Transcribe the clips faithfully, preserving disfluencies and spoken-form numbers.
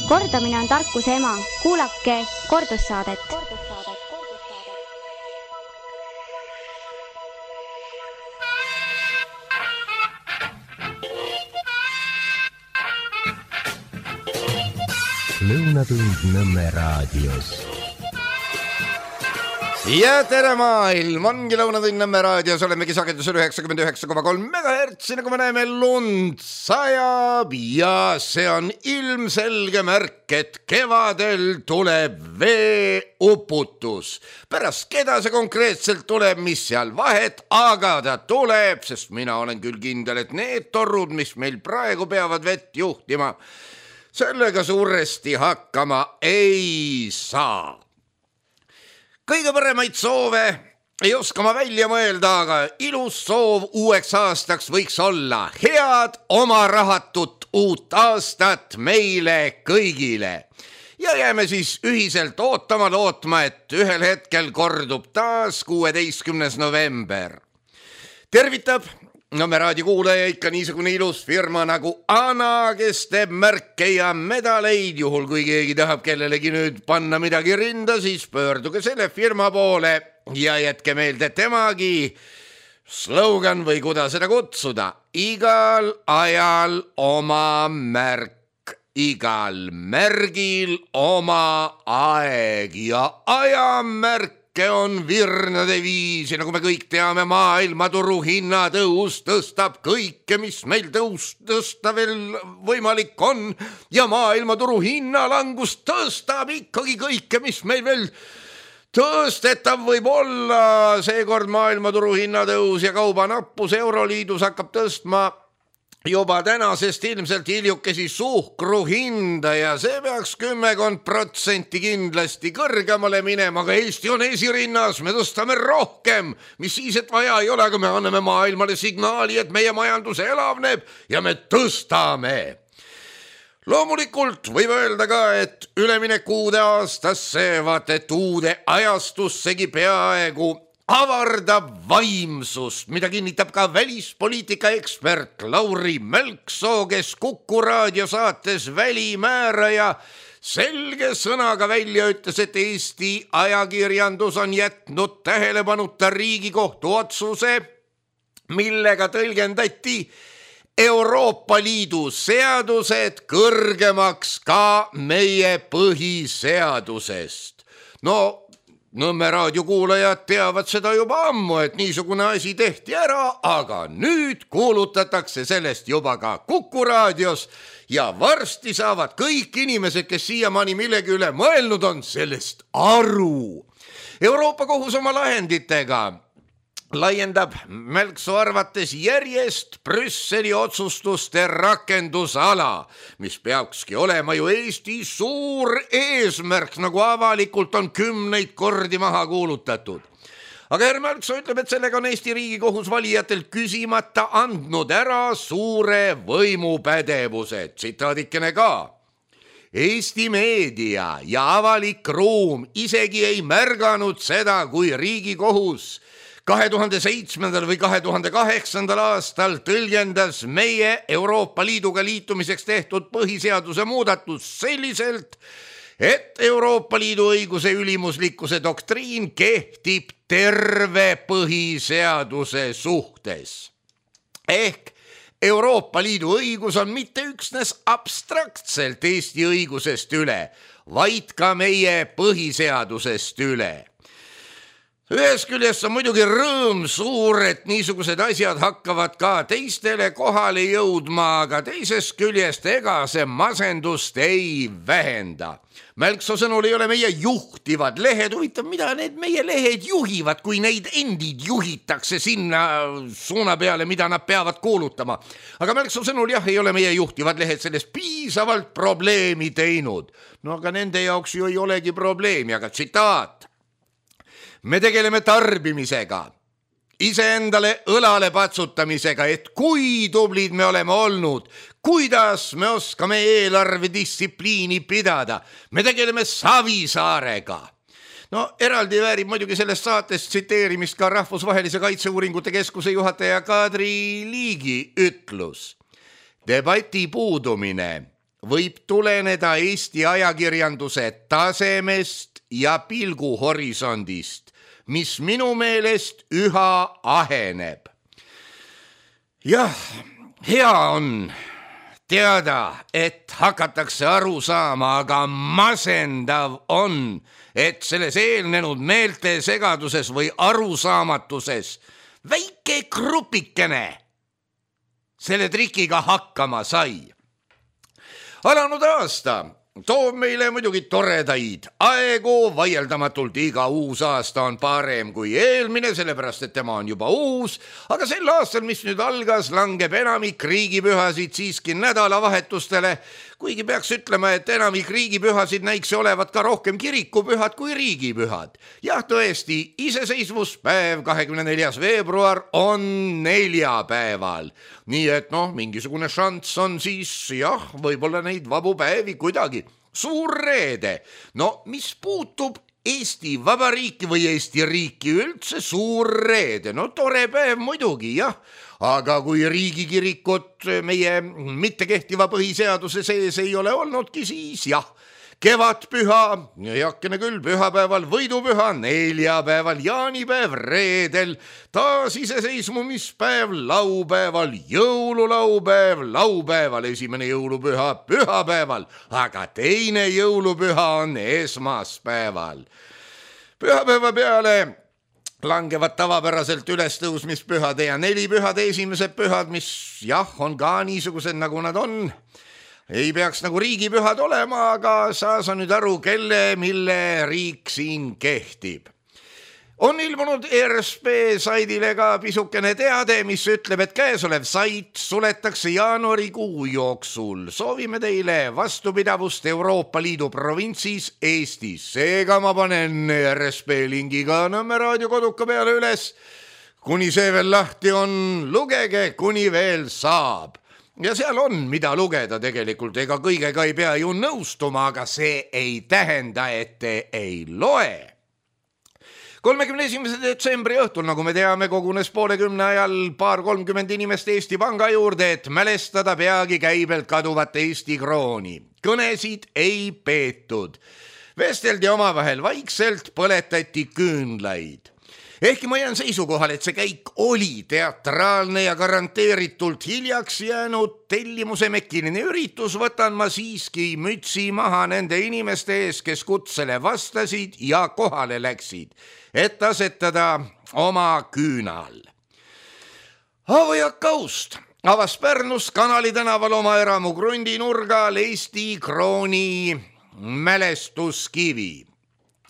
Kordamine on tarkuse ema. Kuulake kordussaadet. Lõunatund Nõmme raadios. Ja tere maailm, ongi Lõunatund Nõmme raadios, olemegi sagedusel üheksakümmend üheksa koma kolm megahertsi, nagu me näeme, lund sajab ja see on ilmselge märk, et kevadel tuleb veeuputus. Pärast keda see konkreetselt tuleb, mis seal vahet, aga ta tuleb, sest mina olen küll kindel, et need torrud, mis meil praegu peavad vett juhtima, sellega suuresti hakkama ei saa. Kõige paremaid soove ei oska ma välja mõelda, aga ilus soov uueks aastaks võiks olla head oma rahatut uut aastat meile kõigile. Ja jääme siis ühiselt ootama lootma, et ühel hetkel kordub taas kuueteistkümnes november. Tervitab Nõmme raadio kuulaja ikka niisugune ilus firma nagu Ana, kes teeb märke ja medaleid. Juhul kui keegi tahab kellelegi nüüd panna midagi rinda, siis pöörduge selle firma poole ja jätke meelde temagi slogan või kuidas seda kutsuda. Igal ajal oma märk, igal märgil oma aeg ja ajamärk on virnade viis ja nagu me kõik teame, maailmaturu hinnatõus tõstab kõike, mis meil tõus, tõsta veel võimalik on ja maailmaturu hinnalangus tõstab ikkagi kõike, mis meil veel tõstetav võib olla. Seekord maailmaturu hinnatõus ja kaubanappus Euroliidus hakkab tõstma juba tänasest ilmselt hiljukesi suhkru hinda ja see peaks kümmekond protsenti kindlasti kõrgemale minema, aga Eesti on esirinnas, me tõstame rohkem, mis siis, et vaja ei ole, aga me anname maailmale signaali, et meie majandus elavneb ja me tõstame. Loomulikult võib öelda ka, et üleminek uude aastasse, vaat et uude ajastussegi peaaegu avardab vaimsust, mida kinnitab ka välispoliitika ekspert Lauri Mälksoo, kes Kuku raadiosaates Välimääraja selge sõnaga välja ütles, et Eesti ajakirjandus on jätnud tähelepanuta Riigikohtu otsuse, millega tõlgendati Euroopa Liidu seadused kõrgemaks ka meie põhiseadusest. No Nõmme raadio kuulajad teavad seda juba ammu, et niisugune asi tehti ära, aga nüüd kuulutatakse sellest juba ka Kuku raadios ja varsti saavad kõik inimesed, kes siiamaani millegi üle mõelnud on, sellest aru. Euroopa kohus oma lahenditega laiendab Mälksoo arvates järjest Brüsseli otsustuste rakendusala, mis peakski olema ju Eesti suur eesmärk, nagu avalikult on kümneid kordi maha kuulutatud. Aga härra Mälksoo ütleb, et sellega on Eesti Riigikohus valijatelt küsimata andnud ära suure võimupädevuse. Tsitaadikene ka. Eesti meedia ja avalik ruum isegi ei märganud seda, kui Riigikohus kahe tuhande seitsmendal või kahe tuhande kaheksandal aastal tõlgendas meie Euroopa Liiduga liitumiseks tehtud põhiseaduse muudatus selliselt, et Euroopa Liidu õiguse ülimuslikkuse doktriin kehtib terve põhiseaduse suhtes. Ehk Euroopa Liidu õigus on mitte üksnes abstraktselt Eesti õigusest üle, vaid ka meie põhiseadusest üle. Ühes küljest on muidugi rõõm suur, et niisugused asjad hakkavad ka teistele kohale jõudma, aga teisest küljest ega see masendust ei vähenda. Mälksoo sõnul ei ole meie juhtivad lehed, huvitav, mida need meie lehed juhivad, kui neid endid juhitakse sinna suuna peale, mida nad peavad kuulutama. Aga Mälksoo sõnul jah, ei ole meie juhtivad lehed sellest piisavalt probleemi teinud. No aga nende jaoks ju ei olegi probleemi, aga tsitaat. Me tegeleme tarbimisega, iseendale õlale patsutamisega, et kui tublid me oleme olnud, kuidas me oskame eelarvedistsipliini pidada. Me tegeleme Savisaarega. No eraldi väärib muidugi sellest saatest tsiteerimist ka Rahvusvahelise Kaitseuuringute Keskuse juhataja Kadri Liigi ütlus. Debati puudumine võib tuleneda Eesti ajakirjanduse tasemest ja pilguhorisondist, mis minu meelest üha aheneb. Jah, hea on teada, et hakatakse aru saama, aga masendav on, et selles eelnenud meelte segaduses või arusaamatuses väike grupikene selle trikiga hakkama sai. Alanud aasta toob meile muidugi toredaid aegu, vaieldamatult iga uus aasta on parem kui eelmine, sellepärast et tema on juba uus, aga sel aastal, mis nüüd algas, langeb enamik riigipühasid siiski nädalavahetustele, kuigi peaks ütlema, et enamik riigipühasid näiks olevat ka rohkem kirikupühad kui riigipühad. Jah, tõesti, iseseisvuspäev kahekümne neljas veebruar on neljapäeval. Nii et noh, mingisugune šanss on siis, jah, võib-olla neid vabu päevi kuidagi. Suur reede, no mis puutub Eesti Vabariiki või Eesti riiki üldse, suur reede, no tore päev muidugi, jah, aga kui riigikirikut meie mittekehtiva põhiseaduse sees ei ole olnudki, siis jah, kevadpüha, heakene küll, pühapäeval, võidupüha, neljapäeval, jaanipäev, reedel, taas iseseisvumispäev, laupäeval, jõululaupäev, laupäeval, esimene jõulupüha, pühapäeval, aga teine jõulupüha on esmaspäeval. Pühapäeva peale langevad tavapäraselt ülestõusmispühade ja nelipühade esimesed pühad, mis jah, on ka niisugused, nagu nad on. Ei peaks nagu riigipühad olema, aga saa sa nüüd aru, kelle, mille riik siin kehtib. On ilmunud R S P saidile ka pisukene teade, mis ütleb, et käesolev sait suletakse jaanuarikuu jooksul. Soovime teile vastupidavust Euroopa Liidu provintsis Eestis. Seega ma panen R S P lingiga Nõmme raadio koduka peale üles. Kuni see veel lahti on, lugege, kuni veel saab. Ja seal on, mida lugeda tegelikult, ega kõigega ei pea ju nõustuma, aga see ei tähenda, et te ei loe. kolmekümne esimese detsembri õhtul, nagu me teame, kogunes poolekümne ajal paar kolmkümmend inimest Eesti Panga juurde, et mälestada peagi käibelt kaduvat Eesti krooni. Kõnesid ei peetud. Vesteldi omavahel vaikselt, põletati küünlaid. Ehkki ma jään seisukohal, et see käik oli teatraalne ja garanteeritult hiljaks jäänud tellimuse mekkiline üritus, võtan ma siiski mütsi maha nende inimeste ees, kes kutsele vastasid ja kohale läksid, et asetada oma küünal. Avojak Kaust avas Pärnus Kanali tänaval oma eramu krundinurgal Eesti krooni mälestuskivi.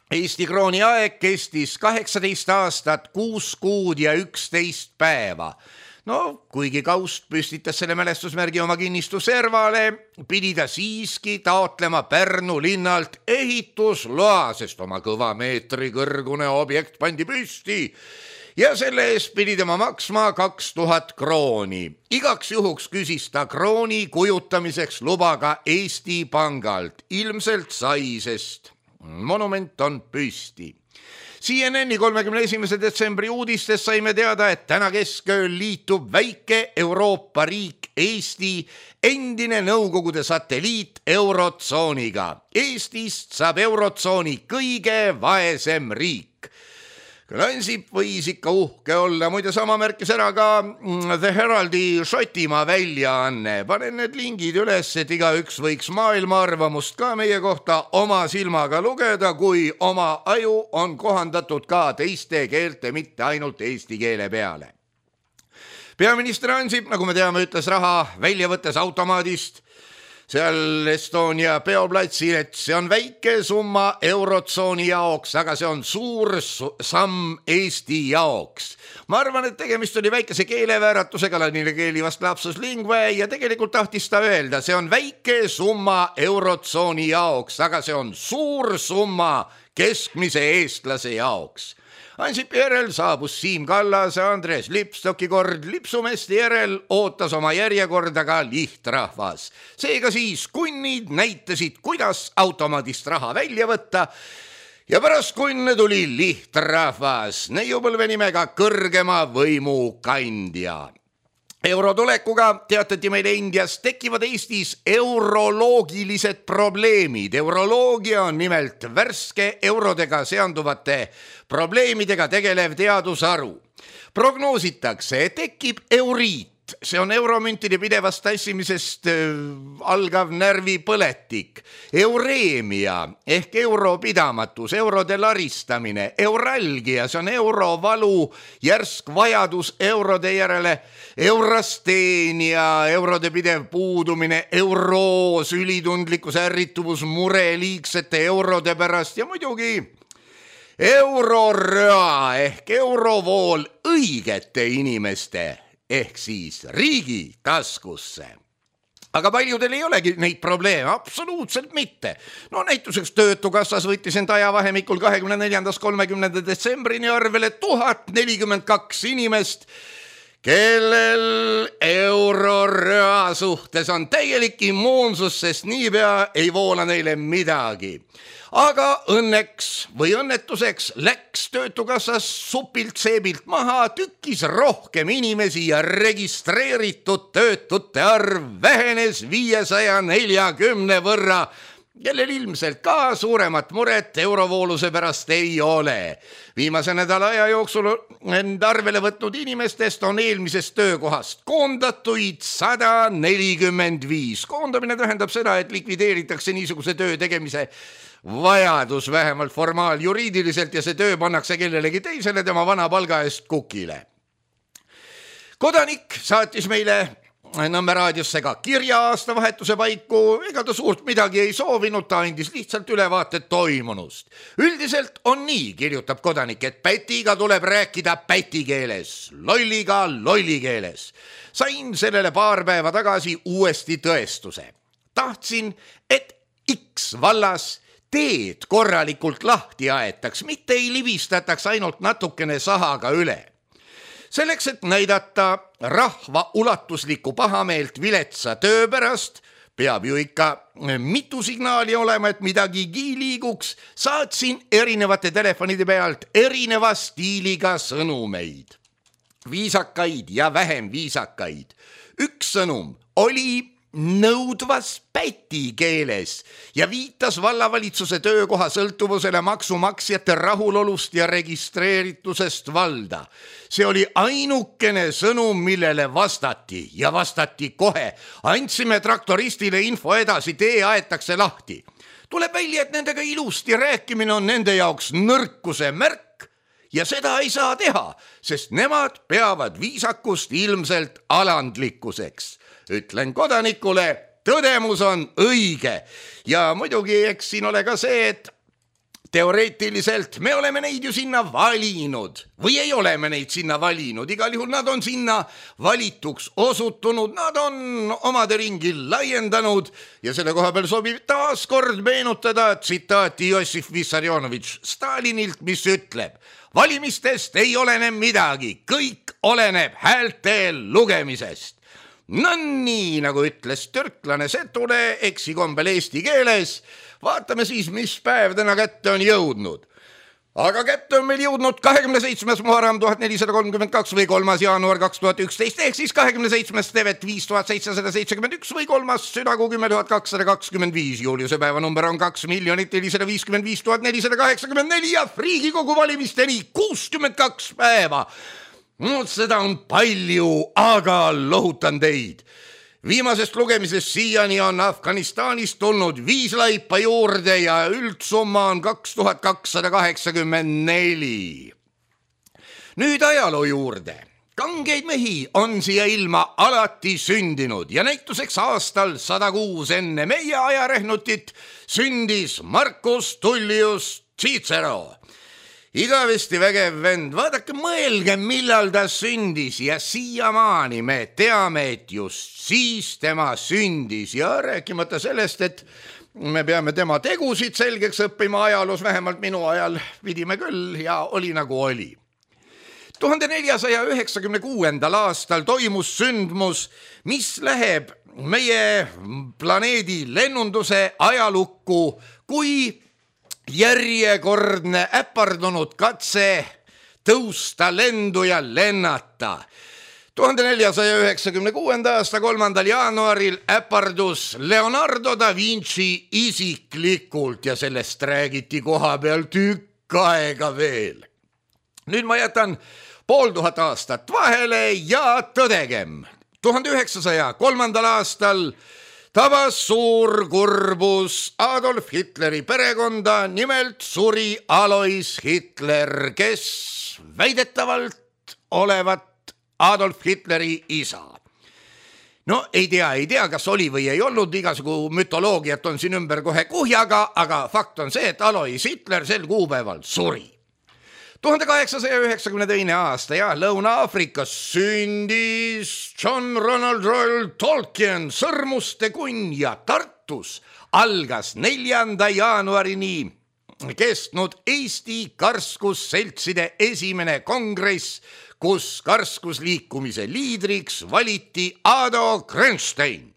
Eesti krooni aeg kestis kaheksateist aastat, kuus kuud ja üksteist päeva. No, kuigi Kaust püstitas selle mälestusmärgi oma kinnistu servale, pidi ta siiski taotlema Pärnu linnalt ehitusloa, sest oma kõva meetri kõrgune objekt pandi püsti. Ja selle eest pidi tema maksma kaks tuhat krooni. Igaks juhuks küsis ta krooni kujutamiseks luba ka Eesti Pangalt. Ilmselt sai, sest monument on püsti. C N N-i kolmekümne esimese detsembri uudistes saime teada, et täna keskööl liitub väike Euroopa riik Eesti, endine Nõukogude satelliit Eurotsooniga. Eestist saab Eurotsooni kõige vaesem riik. Ansip võis ikka uhke olla, muide sama märkis ära ka The Heraldi Šotimaa väljaanne. Panen need lingid üles, et igaüks võiks maailma arvamust ka meie kohta oma silmaga lugeda, kui oma aju on kohandatud ka teiste keelte, mitte ainult eesti keele peale. Peaminister Ansip, nagu me teame, ütles raha välja võttes automaadist seal Estonia peoplatsil, et see on väike summa Eurotsooni jaoks, aga see on suur samm Eesti jaoks. Ma arvan, et tegemist oli väikese keelevääratusega, ladina keeli vast lapsus lingve, ja tegelikult tahtis ta öelda, see on väike summa Eurotsooni jaoks, aga see on suur summa keskmise eestlase jaoks. Ansipi järel saabus Siim Kallase, Andres Lipstoki kord, lipsumeeste järel ootas oma järjekorda ka lihtrahvas. Seega siis kunnid näitasid, kuidas automaadist raha välja võtta, ja pärast kunne tuli lihtrahvas, neiupõlve nimega kõrgema võimu kandja. Euro tulekuga teatati meile Indias tekivad Eestis euroloogilised probleemid. Euroloogia on nimelt värske eurodega seonduvate probleemidega tegelev teadusharu. Prognoositakse, et tekib euriit. See on euromüntide pidevast tassimisest äh, algav närvipõletik. Eureemia ehk europidamatus, eurode laristamine. Euralgia, see on eurovalu, järsk vajadus eurode järele. Eurasteenia, eurode pidev puudumine. Euroos, ülitundlikkus, ärrituvus, mure liigsete eurode pärast ja muidugi euroröa ehk eurovool õigete inimeste ehk siis riigi taskusse. Aga paljudel ei olegi neid probleeme, absoluutselt mitte. No näituseks Töötukassas võttis end ajavahemikul kahekümne neljandast kolmekümnenda detsembrini arvele tuhat nelikümmend kaks inimest, kellel euroröa suhtes on täielik immuunsus, sest niipea ei voola neile midagi. Aga õnneks või õnnetuseks läks Töötukassas supilt seebilt maha, tükkis rohkem inimesi ja registreeritud töötute arv vähenes viiesaja neljakümne võrra, kellel ilmselt ka suuremat muret eurovooluse pärast ei ole. Viimase nädala aja jooksul end arvele võtnud inimestest on eelmisest töökohast koondatuid sada nelikümmend viis. Koondamine tähendab seda, et likvideeritakse niisuguse töö tegemise vajadus vähemalt formaal-juriidiliselt ja see töö pannakse kellelegi teisele tema vana palga eest kukile. Kodanik saatis meile Nõmme raadiosse ka kirja aastavahetuse paiku, ega ta suurt midagi ei soovinud, ta andis lihtsalt ülevaated toimunust. Üldiselt on nii, kirjutab kodanik, et pätiga tuleb rääkida päti keeles, lolliga lolli keeles. Sain sellele paar päeva tagasi uuesti tõestuse. Tahtsin, et X vallas teed korralikult lahti aetaks, mitte ei libistataks ainult natukene sahaga üle. Selleks, et näidata rahva ulatuslikku pahameelt viletsa töö pärast, peab ju ikka mitu signaali olema, et midagigi liiguks, saatsin erinevate telefonide pealt erineva stiiliga sõnumeid. Viisakaid ja vähem viisakaid. Üks sõnum oli nõudvas päti keeles ja viitas vallavalitsuse töökoha sõltuvusele maksumaksjate rahulolust ja registreeritusest valda. See oli ainukene sõnum, millele vastati ja vastati kohe. Andsime traktoristile info edasi, tee aetakse lahti. Tuleb välja, et nendega ilusti rääkimine on nende jaoks nõrkuse märk ja seda ei saa teha, sest nemad peavad viisakust ilmselt alandlikkuseks. Ütlen kodanikule, tõdemus on õige ja muidugi eks siin ole ka see, et teoreetiliselt me oleme neid ju sinna valinud või ei ole me neid sinna valinud. Igal juhul nad on sinna valituks osutunud, nad on omade ringi laiendanud ja selle koha peal sobib taas kord meenutada tsitaati Jossif Vissarionovitš Stalinilt, mis ütleb: valimistest ei olene midagi, kõik oleneb häälte lugemisest. No nii, nagu ütles türklane Setule eksikombel eesti keeles, vaatame siis, mis päev täna kätte on jõudnud. Aga kätte on meil jõudnud kahekümne seitsmes Muharram tuhat nelisada kolmkümmend kaks või kolmas jaanuar kaks tuhat üksteist ehk siis kahekümne seitsmes Tevet viis tuhat seitsesada seitsekümmend üks või kolmas Südakuu kümme tuhat kakssada kakskümmend viis. Juuliuse päeva number on kaks miljonit nelisada viiskümmend viis tuhat nelisada kaheksakümmend neli ja Riigikogu valimisteni kuuskümmend kaks päeva. No, seda on palju, aga lohutan teid. Viimasest lugemisest siiani on Afganistanist tulnud viis laipa juurde ja üldsumma on kaks tuhat kakssada kaheksakümmend neli. Nüüd ajaloo juurde. Kangeid mehi on siia ilma alati sündinud ja näituseks aastal sada kuus enne meie ajarehnutit sündis Marcus Tullius Cicero. Igavesti vägev vend, vaadake, mõelge, millal ta sündis ja siiamaani me teame, et just siis tema sündis ja rääkimata sellest, et me peame tema tegusid selgeks õppima ajaloos, vähemalt minu ajal pidime küll ja oli nagu oli. tuhande neljasaja üheksakümne kuuendal aastal toimus sündmus, mis läheb meie planeedi lennunduse ajalukku kui järjekordne äpardunud katse tõusta lendu ja lennata. tuhande neljasaja üheksakümne kuuenda aasta kolmandal jaanuaril äpardus Leonardo da Vinci isiklikult ja sellest räägiti koha peal tükk aega veel. Nüüd ma jätan pool tuhat aastat vahele ja tõdegem. tuhande üheksasaja kolmandal aastal tabas suur kurbus Adolf Hitleri perekonda, nimelt suri Alois Hitler, kes väidetavalt olevat Adolf Hitleri isa. No ei tea, ei tea, kas oli või ei olnud, igasugu mütoloogiat on siin ümber kohe kuhjaga, aga fakt on see, et Alois Hitler sel kuupäeval suri. tuhande kaheksasaja üheksakümne teine aasta ja Lõuna-Aafrikas sündis John Ronald Reuel Tolkien, Sõrmuste kunn, ja Tartus algas neljanda jaanuarini kestnud Eesti karskusseltside esimene kongress, kus karskusliikumise liidriks valiti Ado Krenstein.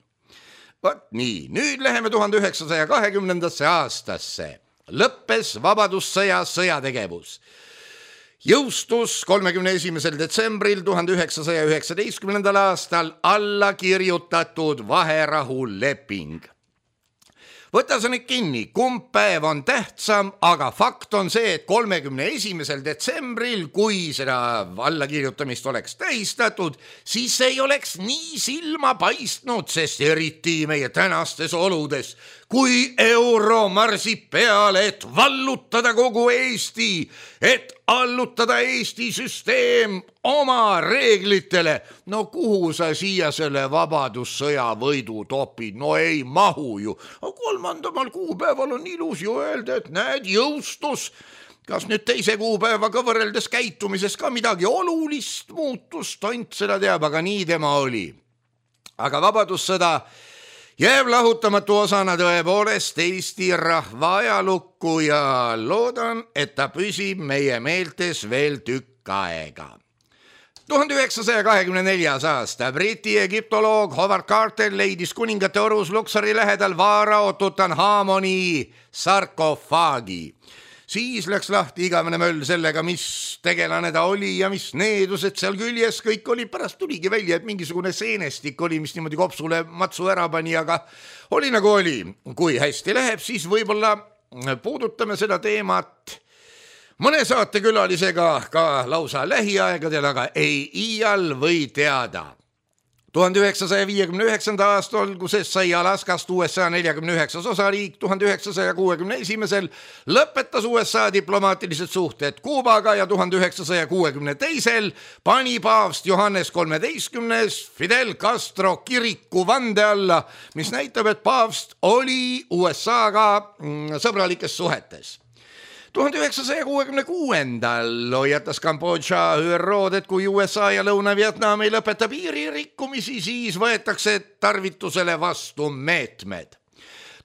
Vat nii, nüüd läheme tuhande üheksasaja kahekümnendasse aastasse. Lõppes vabadussõja sõjategevus. Jõustus kolmekümne esimesel detsembril tuhande üheksasaja üheksateistkümnendal aastal alla kirjutatud vaherahuleping. Võta sa nüüd kinni, kumb päev on tähtsam, aga fakt on see, et kolmekümne esimesel detsembril, kui seda allakirjutamist oleks tähistatud, siis ei oleks nii silma paistnud, sest eriti meie tänastes oludes, kui euro marsib peale, et vallutada kogu Eesti, et allutada Eesti süsteem oma reeglitele. No kuhu sa siia selle vabadussõja võidu topid? No ei mahu ju. Kolmandamal kuupäeval on ilus ju öelda, et näed, jõustus. Kas nüüd teise kuupäevaga võrreldes käitumises ka midagi olulist muutus? Tont seda teab, aga nii tema oli. Aga vabadussõda jääb lahutamatu osana tõepoolest Eesti rahva ajalukku ja loodan, et ta püsib meie meeltes veel tükk aega. tuhande üheksasaja kahekümne neljas aasta Briti egiptoloog Howard Carter leidis kuningate orus Luxori lähedal Vaarao Tutanhamoni sarkofaagi. Siis läks lahti igavene möll sellega, mis tegelane ta oli ja mis needused seal küljes kõik oli. Pärast tuligi välja, et mingisugune seenestik oli, mis niimoodi kopsule matsu ära pani, aga oli nagu oli. Kui hästi läheb, siis võib-olla puudutame seda teemat mõne saatekülalisega ka lausa lähiaegadel, aga ei iial või teada. tuhande üheksasaja viiekümne üheksanda aasta alguses sai Alaskast U S A neljakümne üheksas osariik, tuhande üheksasaja kuuekümne esimesel lõpetas U S A diplomaatilised suhted Kuubaga ja tuhande üheksasaja kuuekümne teisel pani paavst Johannes kolmeteistkümnes Fidel Castro kiriku vande alla, mis näitab, et paavst oli U S A-ga sõbralikes suhetes. tuhande üheksasaja kuuekümne kuuendal hoiatas Kambodža Ü R O-d, et kui U S A ja Lõuna-Vietnam ei lõpeta piiririkkumisi, siis võetakse tarvitusele vastu meetmed.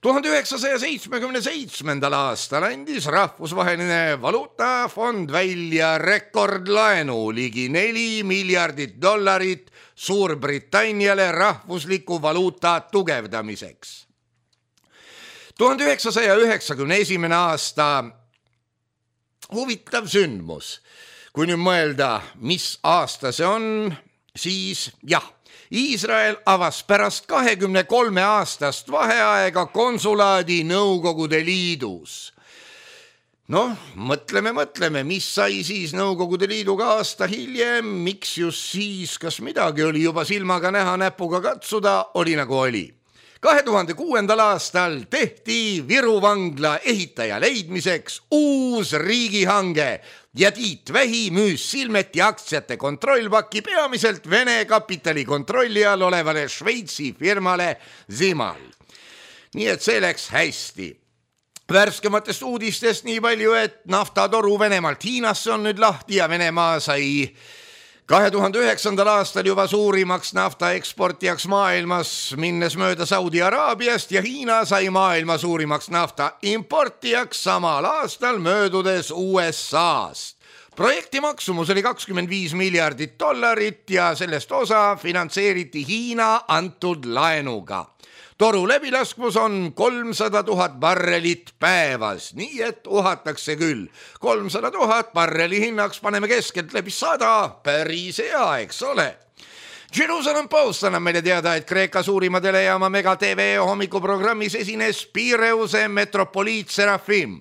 tuhande üheksasaja seitsmekümne seitsmendal aastal andis rahvusvaheline valuutafond välja rekordlaenu ligi neli miljardit dollarit Suurbritanniale rahvusliku valuuta tugevdamiseks. tuhande üheksasaja üheksakümne esimene aasta huvitav sündmus. Kui nüüd mõelda, mis aasta see on, siis jah, Iisrael avas pärast kahekümne kolme aastast vaheaega konsulaadi Nõukogude Liidus. Noh, mõtleme, mõtleme, mis sai siis Nõukogude Liiduga aasta hiljem, miks just siis, kas midagi oli juba silmaga näha, näpuga katsuda, oli nagu oli. kahe tuhande kuuendal aastal tehti Viru vangla ehitaja leidmiseks uus riigihange ja Tiit Vähi müüs Silmeti aktsiate kontrollpaki peamiselt Vene kapitali kontrolli all olevale Šveitsi firmale Zimal. Nii et see läks hästi. Värskematest uudistest nii palju, et naftatoru Venemaalt Hiinasse on nüüd lahti ja Venemaa sai kahe tuhande üheksandal aastal juba suurimaks nafta eksportijaks maailmas, minnes mööda Saudi Araabiast, ja Hiina sai maailma suurimaks nafta importijaks samal aastal möödudes U S A-st. Projekti maksumus oli kakskümmend viis miljardit dollarit ja sellest osa finantseeriti Hiina antud laenuga. Toru läbilaskmus on kolmsada tuhat barrelit päevas, nii et uhatakse küll. kolmsada tuhat barreli hinnaks paneme keskelt läbi sada, päris hea, eks ole. Jerusalem Post annab meile teada, et Kreeka suurima telejaama Mega T V hommikuprogrammis esines Pireuse metropoliit Serafim.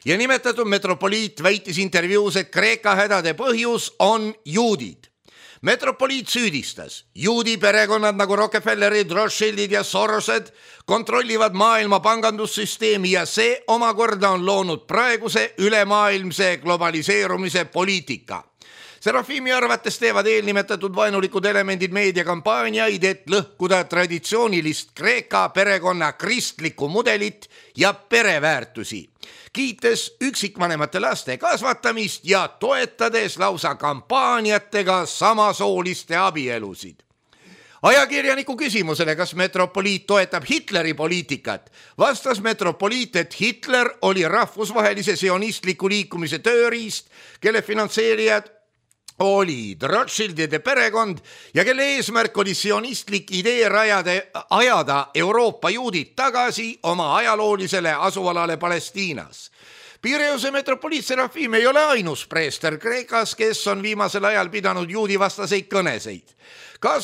Ja nimetatud metropoliit väitis intervjuus, et Kreeka hädade põhjus on juudid. Metropoliit süüdistas, juudi perekonnad nagu Rockefellerid, Rothschildid ja Sorosed kontrollivad maailma pangandussüsteemi ja see omakorda on loonud praeguse ülemaailmse globaliseerumise poliitika. Serafimi arvates teevad eelnimetatud vaenulikud elemendid meediakampaaniaid, et lõhkuda traditsioonilist Kreeka perekonna kristlikku mudelit ja pereväärtusi, kiites üksikvanemate laste kasvatamist ja toetades lausa kampaaniatega samasooliste abielusid. Ajakirjaniku küsimusele, kas metropoliit toetab Hitleri poliitikat, vastas metropoliit, et Hitler oli rahvusvahelise sionistliku liikumise tööriist, kelle finantseerijad olid Rothschildide perekond ja kelle eesmärk oli sionistlik idee rajade, ajada Euroopa juudid tagasi oma ajaloolisele asualale Palestiinas. Pireuse metropoliit Serafim ei ole ainus preester Kreekas, kes on viimasel ajal pidanud juudi vastaseid kõneseid. Ka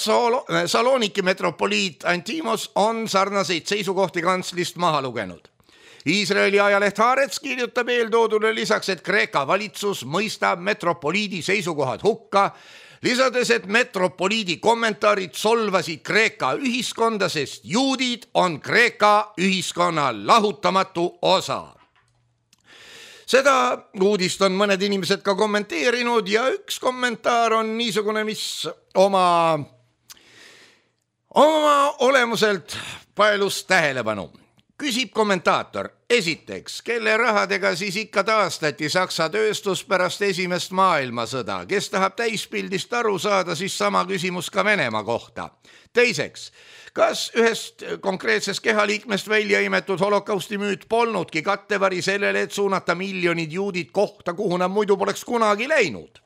Saloniki metropoliit Antimos on sarnaseid seisukohti kantslist maha lugenud. Iisraeli ajaleht Haaretz kirjutab eeltoodule lisaks, et Kreeka valitsus mõistab metropoliidi seisukohad hukka, lisades, et metropoliidi kommentaarid solvasid Kreeka ühiskonda, sest juudid on Kreeka ühiskonna lahutamatu osa. Seda uudist on mõned inimesed ka kommenteerinud ja üks kommentaar on niisugune, mis oma, oma olemuselt paelus tähelepanu. Küsib kommentaator, esiteks, kelle rahadega siis ikka taastati Saksa tööstus pärast esimest maailmasõda, kes tahab täispildist aru saada, siis sama küsimus ka Venemaa kohta. Teiseks, kas ühest konkreetsest kehaliikmest välja imetud holokausti müüt polnudki kattevari sellele, et suunata miljonid juudid kohta, kuhu nad muidu poleks kunagi läinud?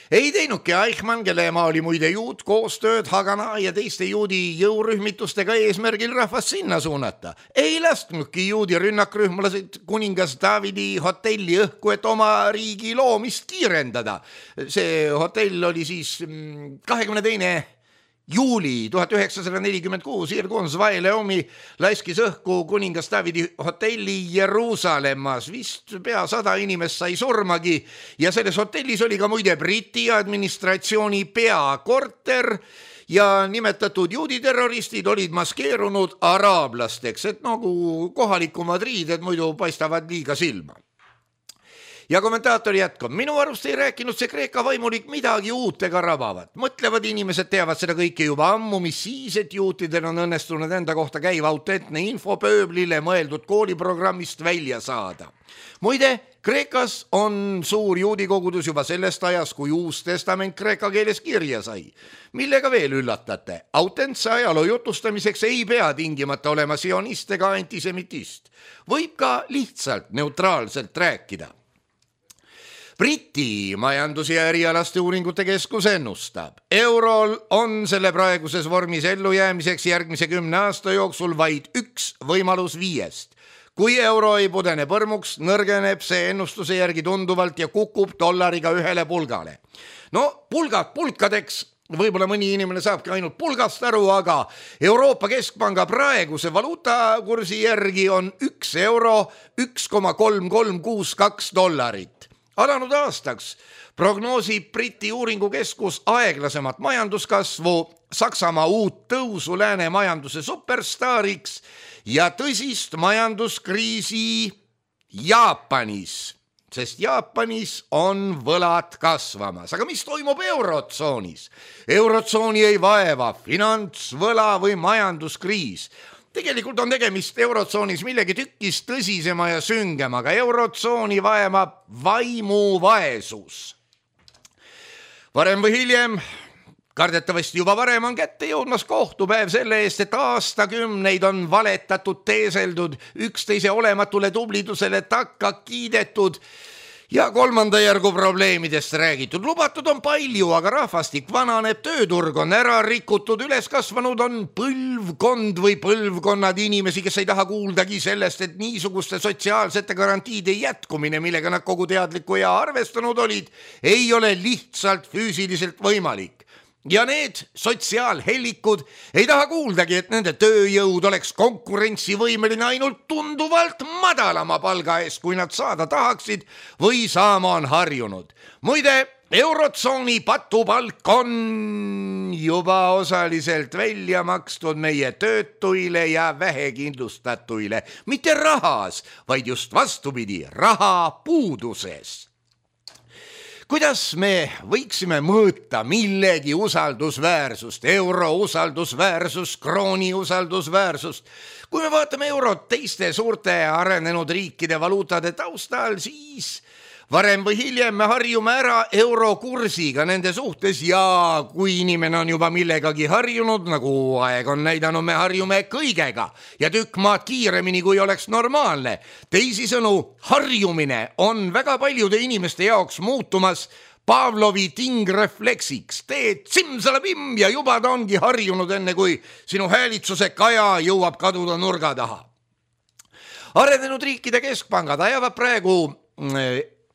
Ei teinudki Eichmann, kelle ema oli muide juut, koostööd Hagana ja teiste juudi jõurühmitustega eesmärgil rahvast sinna suunata. Ei lasknudki juudi rünnakrühmlased kuningas Davidi hotelli õhku, et oma riigi loomist kiirendada. See hotell oli siis kahekümne teine juuli tuhat üheksasada nelikümmend kuus Irgun Zvaileomi laiskis õhku kuningas Davidi hotelli Jeruusalemmas. Vist pea sada inimest sai surmagi ja selles hotellis oli ka muide Briti administratsiooni peakorter ja nimetatud juuditerroristid olid maskeerunud araablasteks, et nagu kohalikumad riided muidu paistavad liiga silma. Ja kommentaator jätkab, minu arust ei rääkinud see Kreeka vaimulik midagi uut ega rabavat. Mõtlevad inimesed teavad seda kõike juba ammu, mis siis, et juutidel on õnnestunud enda kohta käiva autentne info pööblile mõeldud kooliprogrammist välja saada. Muide, Kreekas on suur juudikogudus juba sellest ajas, kui uus testament kreeka keeles kirja sai. Millega veel üllatate? Autentse ajaloo jutustamiseks ei pea tingimata olema sionist ega antisemitist. Võib ka lihtsalt neutraalselt rääkida. Briti majandus- ja erialaste uuringute keskus ennustab. Eurol on selle praeguses vormis ellujäämiseks järgmise kümne aasta jooksul vaid üks võimalus viiest. Kui euro ei pudene põrmuks, nõrgeneb see ennustuse järgi tunduvalt ja kukub dollariga ühele pulgale. No pulgad pulkadeks, võib-olla mõni inimene saabki ainult pulgast aru, aga Euroopa Keskpanga praeguse valuutakursi järgi on üks euro üks koma kolm kolm kuus kaks dollarit. Alanud aastaks prognoosib Briti uuringukeskus aeglasemat majanduskasvu, Saksamaa uut tõusu lääne majanduse superstaariks ja tõsist majanduskriisi Jaapanis, sest Jaapanis on võlad kasvamas. Aga mis toimub eurotsoonis? Eurotsooni ei vaeva finants, võla või majanduskriis. Tegelikult on tegemist eurotsoonis millegi tükkis tõsisema ja süngemaga. Eurotsooni vaemab vaimuvaesus. Varem või hiljem, kardetavasti juba varem on kätte jõudmas kohtupäev selle eest, et aastakümneid on valetatud, teeseldud, üksteise olematule tublidusele takka kiidetud ja kolmanda järgu probleemidest räägitud. Lubatud on palju, aga rahvastik vananeb, tööturg on ära rikutud, üles kasvanud on põlvkond või põlvkonnad inimesi, kes ei taha kuuldagi sellest, et niisuguste sotsiaalsete garantiide jätkumine, millega nad kogu teadliku ja arvestanud olid, ei ole lihtsalt füüsiliselt võimalik. ja need sotsiaalhellikud ei taha kuuldagi, et nende tööjõud oleks konkurentsivõimeline ainult tunduvalt madalama palga eest, kui nad saada tahaksid või saama on harjunud. Muide, eurotsooni patupalk on juba osaliselt välja makstud meie töötuile ja vähekindlustatuile, mitte rahas, vaid just vastupidi, raha puuduses. Kuidas me võiksime mõõta millegi usaldusväärsust, euro usaldusväärsust, krooni usaldusväärsust? Kui me vaatame eurot teiste suurte arenenud riikide valuutade taustal, siis varem või hiljem me harjume ära eurokursiga nende suhtes ja kui inimene on juba millegagi harjunud, nagu aeg on näidanud, me harjume kõigega ja tükk maad kiiremini, kui oleks normaalne. Teisisõnu, harjumine on väga paljude inimeste jaoks muutumas Pavlovi tingrefleksiks. Teed simsalabim ja juba ta ongi harjunud enne, kui sinu häälitsuse kaja jõuab kaduda nurga taha. Arenenud riikide keskpangad ajavad praegu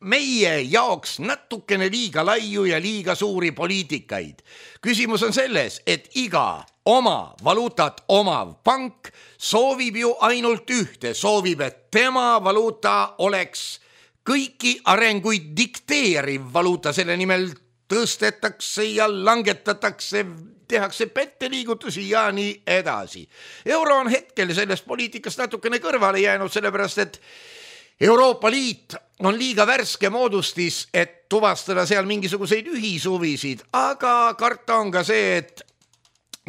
meie jaoks natukene liiga laiu ja liiga suuri poliitikaid. Küsimus on selles, et iga oma valuutat omav pank soovib ju ainult ühte, soovib, et tema valuuta oleks kõiki arenguid dikteeriv valuuta, selle nimel tõstetakse ja langetatakse, tehakse petteliigutusi ja nii edasi. Euro on hetkel sellest poliitikast natukene kõrvale jäänud, sellepärast et Euroopa Liit on liiga värske moodustis, et tuvastada seal mingisuguseid ühisuvisid, aga karta on ka see, et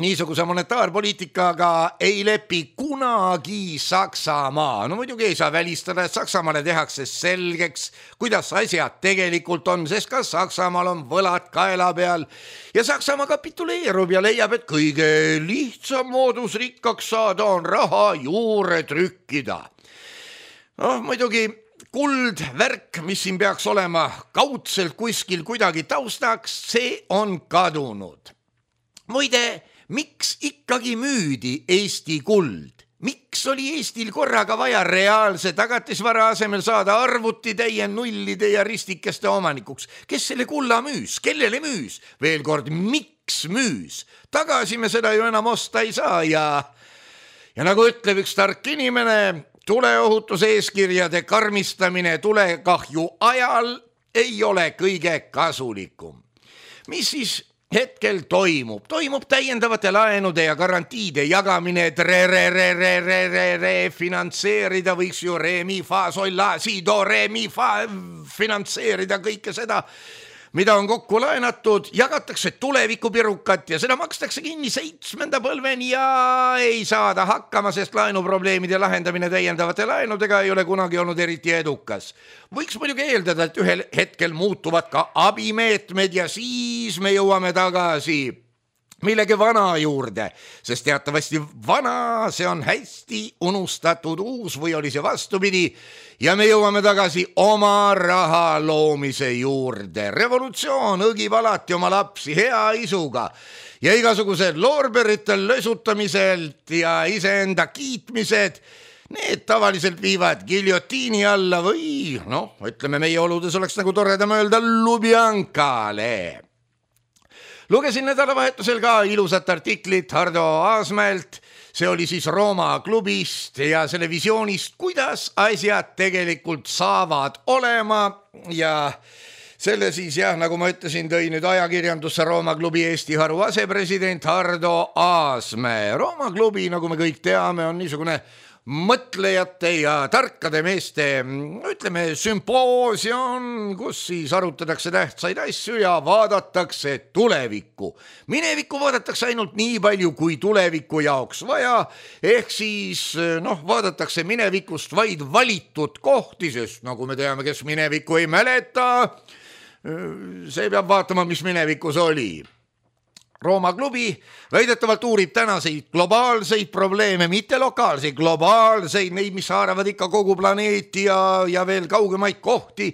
niisuguse monetaarpoliitikaga ei lepi kunagi Saksamaa. No muidugi ei saa välistada, et Saksamaale tehakse selgeks, kuidas asjad tegelikult on, sest ka Saksamaal on võlad kaela peal ja Saksamaa kapituleerub ja leiab, et kõige lihtsam moodus rikkaks saada on raha juurde trükkida. No muidugi kuld värk, mis siin peaks olema kaudselt kuskil kuidagi taustaks, see on kadunud. Muide, miks ikkagi müüdi Eesti kuld? Miks oli Eestil korraga vaja reaalse tagatisvara asemel saada arvutitäie nullide ja ristikeste omanikuks? Kes selle kulla müüs? Kellele müüs? Veel kord, miks müüs? Tagasi me seda ju enam osta ei saa ja, ja nagu ütleb üks tark inimene, tuleohutuse eeskirjade karmistamine tulekahju ajal ei ole kõige kasulikum. Mis siis hetkel toimub? Toimub täiendavate laenude ja garantiide jagamine, et re, re, re, re, re, re, re, finantseerida võiks ju re, mi, fa, sol, la, si, do, re, mi, fa, finantseerida kõike seda, mida on kokku laenatud, jagatakse tulevikupirukat ja seda makstakse kinni seitsmenda põlveni ja ei saada hakkama, sest laenuprobleemide lahendamine täiendavate laenudega ei ole kunagi olnud eriti edukas. Võiks muidugi eeldada, et ühel hetkel muutuvad ka abimeetmed ja siis me jõuame tagasi millegi vana juurde, sest teatavasti vana, see on hästi unustatud uus või oli see vastupidi ja me jõuame tagasi oma raha loomise juurde. Revolutsioon õgib alati oma lapsi hea isuga ja igasugused loorberitel lösutamiselt ja iseenda kiitmised, need tavaliselt viivad giljotiini alla või noh, ütleme meie oludes oleks nagu toredam öelda Lubjankale. Lugesin nädalavahetusel ka ilusat artiklit Hardo Aasmäelt, see oli siis Rooma klubist ja selle visioonist, kuidas asjad tegelikult saavad olema ja selle siis jah, nagu ma ütlesin, tõi nüüd ajakirjandusse Rooma klubi Eesti haru asepresident Hardo Aasmäe. Rooma klubi, nagu me kõik teame, on niisugune mõtlejate ja tarkade meeste, ütleme, sümpoosium, kus siis arutatakse tähtsaid asju ja vaadatakse tulevikku. Minevikku vaadatakse ainult nii palju, kui tuleviku jaoks vaja, ehk siis noh, vaadatakse minevikust vaid valitud kohti, sest nagu me teame, kes minevikku ei mäleta, see peab vaatama, mis minevikus oli. Rooma klubi väidetavalt uurib tänaseid globaalseid probleeme, mitte lokaalseid, globaalseid, neid, mis haaravad ikka kogu planeeti ja, ja veel kaugemaid kohti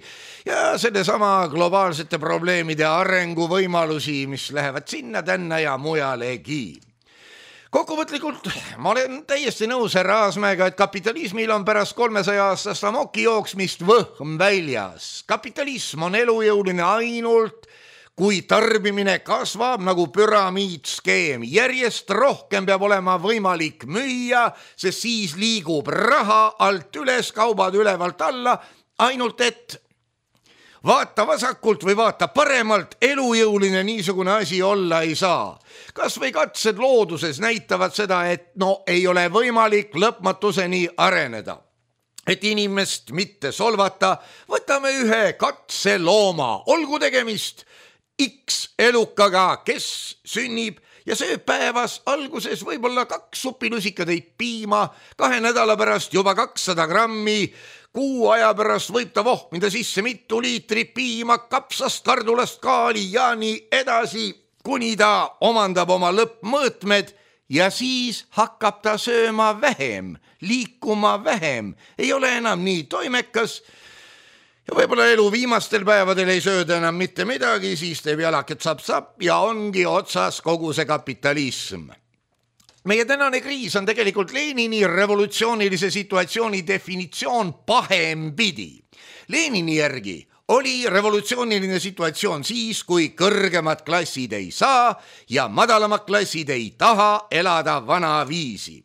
ja selle sama globaalsete probleemide arenguvõimalusi, mis lähevad sinna, tänna ja mujalegi. Kokkuvõtlikult ma olen täiesti nõus härra Aasmäega, et kapitalismil on pärast kolmesaja aastast amoki jooksmist võhm väljas. Kapitalism on elujõuline ainult kui tarbimine kasvab nagu püramiidskeem, järjest rohkem peab olema võimalik müüa, sest siis liigub raha alt üles, kaubad ülevalt alla, ainult et vaata vasakult või vaata paremalt, elujõuline niisugune asi olla ei saa. Kas või katsed looduses näitavad seda, et no ei ole võimalik lõpmatuseni areneda. Et inimest mitte solvata, võtame ühe katselooma, olgu tegemist X elukaga, kes sünnib ja sööb päevas alguses võib-olla kaks supilusikatäit piima, kahe nädala pärast juba kakssada grammi, kuu aja pärast võib ta vohmida sisse mitu liitrit piima, kapsast, kardulast, kaali ja nii edasi, kuni ta omandab oma lõppmõõtmed ja siis hakkab ta sööma vähem, liikuma vähem, ei ole enam nii toimekas ja võib-olla elu viimastel päevadel ei sööda enam mitte midagi, siis teeb jalaket sapp-sapp ja ongi otsas kogu see kapitalism. Meie tänane kriis on tegelikult Lenini revolutsioonilise situatsiooni definitsioon pahempidi. Lenini järgi oli revolutsiooniline situatsioon siis, kui kõrgemad klassid ei saa ja madalamad klassid ei taha elada vana viisi.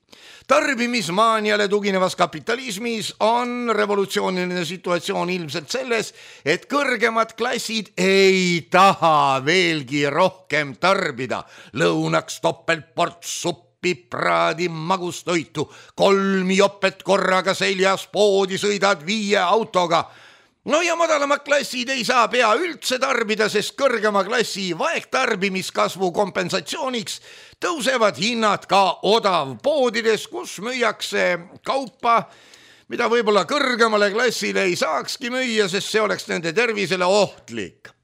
Tarbimismaaniale tuginevas kapitalismis on revolutsiooniline situatsioon ilmselt selles, et kõrgemad klassid ei taha veelgi rohkem tarbida. Lõunaks topeltports suppi, praadi magustoitu, kolm jopet korraga seljas, poodi sõidad viie autoga. No ja madalamad klassid ei saa pea üldse tarbida, sest kõrgema klassi vaegtarbimiskasvu kompensatsiooniks tõusevad hinnad ka odavpoodides, kus müüakse kaupa, mida võib-olla kõrgemale klassile ei saakski müüa, sest see oleks nende tervisele ohtlik.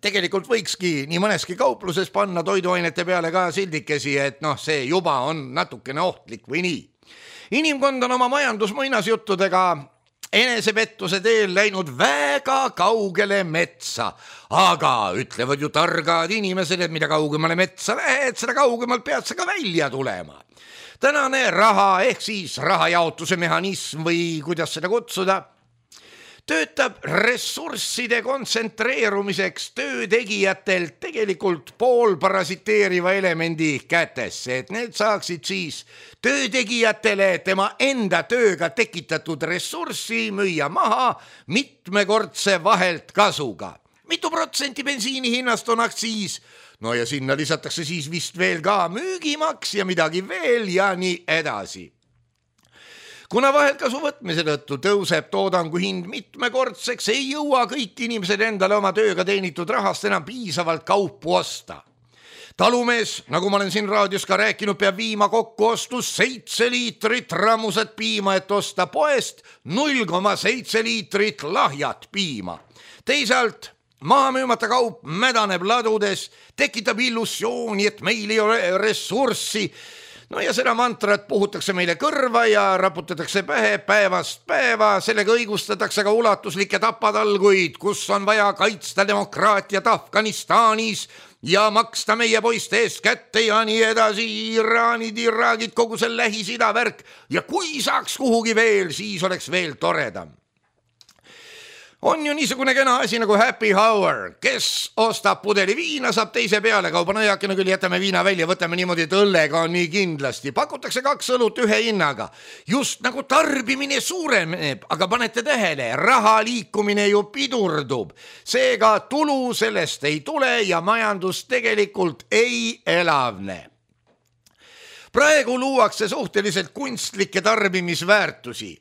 Tegelikult võikski nii mõneski kaupluses panna toiduainete peale ka sildikesi, et noh, see juba on natukene ohtlik või nii. Inimkond on oma majandusmuinasjuttudega enesepettuse teel läinud väga kaugele metsa, aga ütlevad ju targad inimesed, et mida kaugemale metsa lähed, seda kaugemalt pead sa ka välja tulema. Tänane raha ehk siis rahajaotuse mehhanism või kuidas seda kutsuda, töötab ressursside kontsentreerumiseks töötegijatelt tegelikult poolparasiteeriva elemendi kätesse, et need saaksid siis töötegijatele tema enda tööga tekitatud ressurssi müüa maha mitmekordse vahelt kasuga. Mitu protsenti bensiini hinnast on aktsiis? No ja sinna lisatakse siis vist veel ka müügimaks ja midagi veel ja nii edasi. Kuna vaheltkasu võtmise tõttu tõuseb toodangu hind mitmekordseks, ei jõua kõik inimesed endale oma tööga teenitud rahast enam piisavalt kaupu osta. Talumees, nagu ma olen siin raadios ka rääkinud, peab viima kokku ostus seitse liitrit rammusat piima, et osta poest null koma seitse liitrit lahjat piima. Teisalt maha müümata kaup mädaneb ladudes, tekitab illusiooni, et meil ei ole ressurssi. No ja seda mantrat puhutakse meile kõrva ja raputatakse pähe päevast päeva, sellega õigustatakse ka ulatuslikke tapatalguid, kus on vaja kaitsta demokraatiat Afganistanis ja maksta meie poiste eest kätte ja nii edasi, Iraanid, Iraagid, kogu see Lähis-Ida värk ja kui saaks kuhugi veel, siis oleks veel toredam. On ju niisugune kena asi nagu happy hour, kes ostab pudeli viina, saab teise peale kauba nõjakene, küll jätame viina välja, võtame niimoodi, et õllega on nii kindlasti. Pakutakse kaks õlut ühe hinnaga. Just nagu tarbimine suureneb, aga panete tähele, raha liikumine ju pidurdub. Seega tulu sellest ei tule ja majandus tegelikult ei elavne. Praegu luuakse suhteliselt kunstlikke tarbimisväärtusi.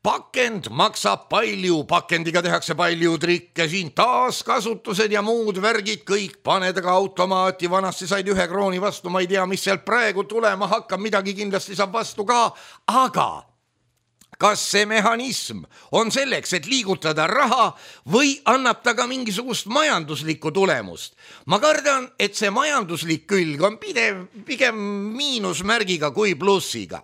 Pakend maksab palju, pakendiga tehakse palju trikke, siin taaskasutused ja muud värgid, kõik paned aga automaati, vanasti said ühe krooni vastu, ma ei tea, mis sealt praegu tulema hakkab, midagi kindlasti saab vastu ka, aga kas see mehhanism on selleks, et liigutada raha või annab ta ka mingisugust majanduslikku tulemust? Ma kardan, et see majanduslik külg on pidev, pigem miinusmärgiga kui plussiga.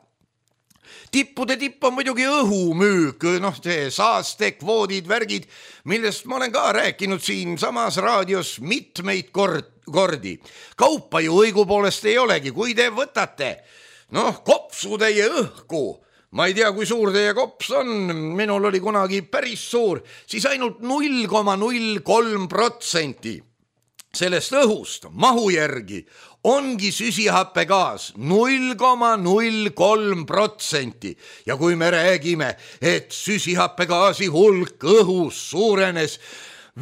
Tippude tipp on muidugi õhumüük, noh see saaste, kvoodid, värgid, millest ma olen ka rääkinud siin samas raadios mitmeid kord, kordi. Kaupa ju õigupoolest ei olegi, kui te võtate, noh, kopsutäie õhku, ma ei tea, kui suur teie kops on, minul oli kunagi päris suur, siis ainult null koma null kolm protsenti sellest õhust mahu järgi ongi süsihappegaas null koma null kolm protsenti ja kui me räägime, et süsihappegaasi hulk õhus suurenes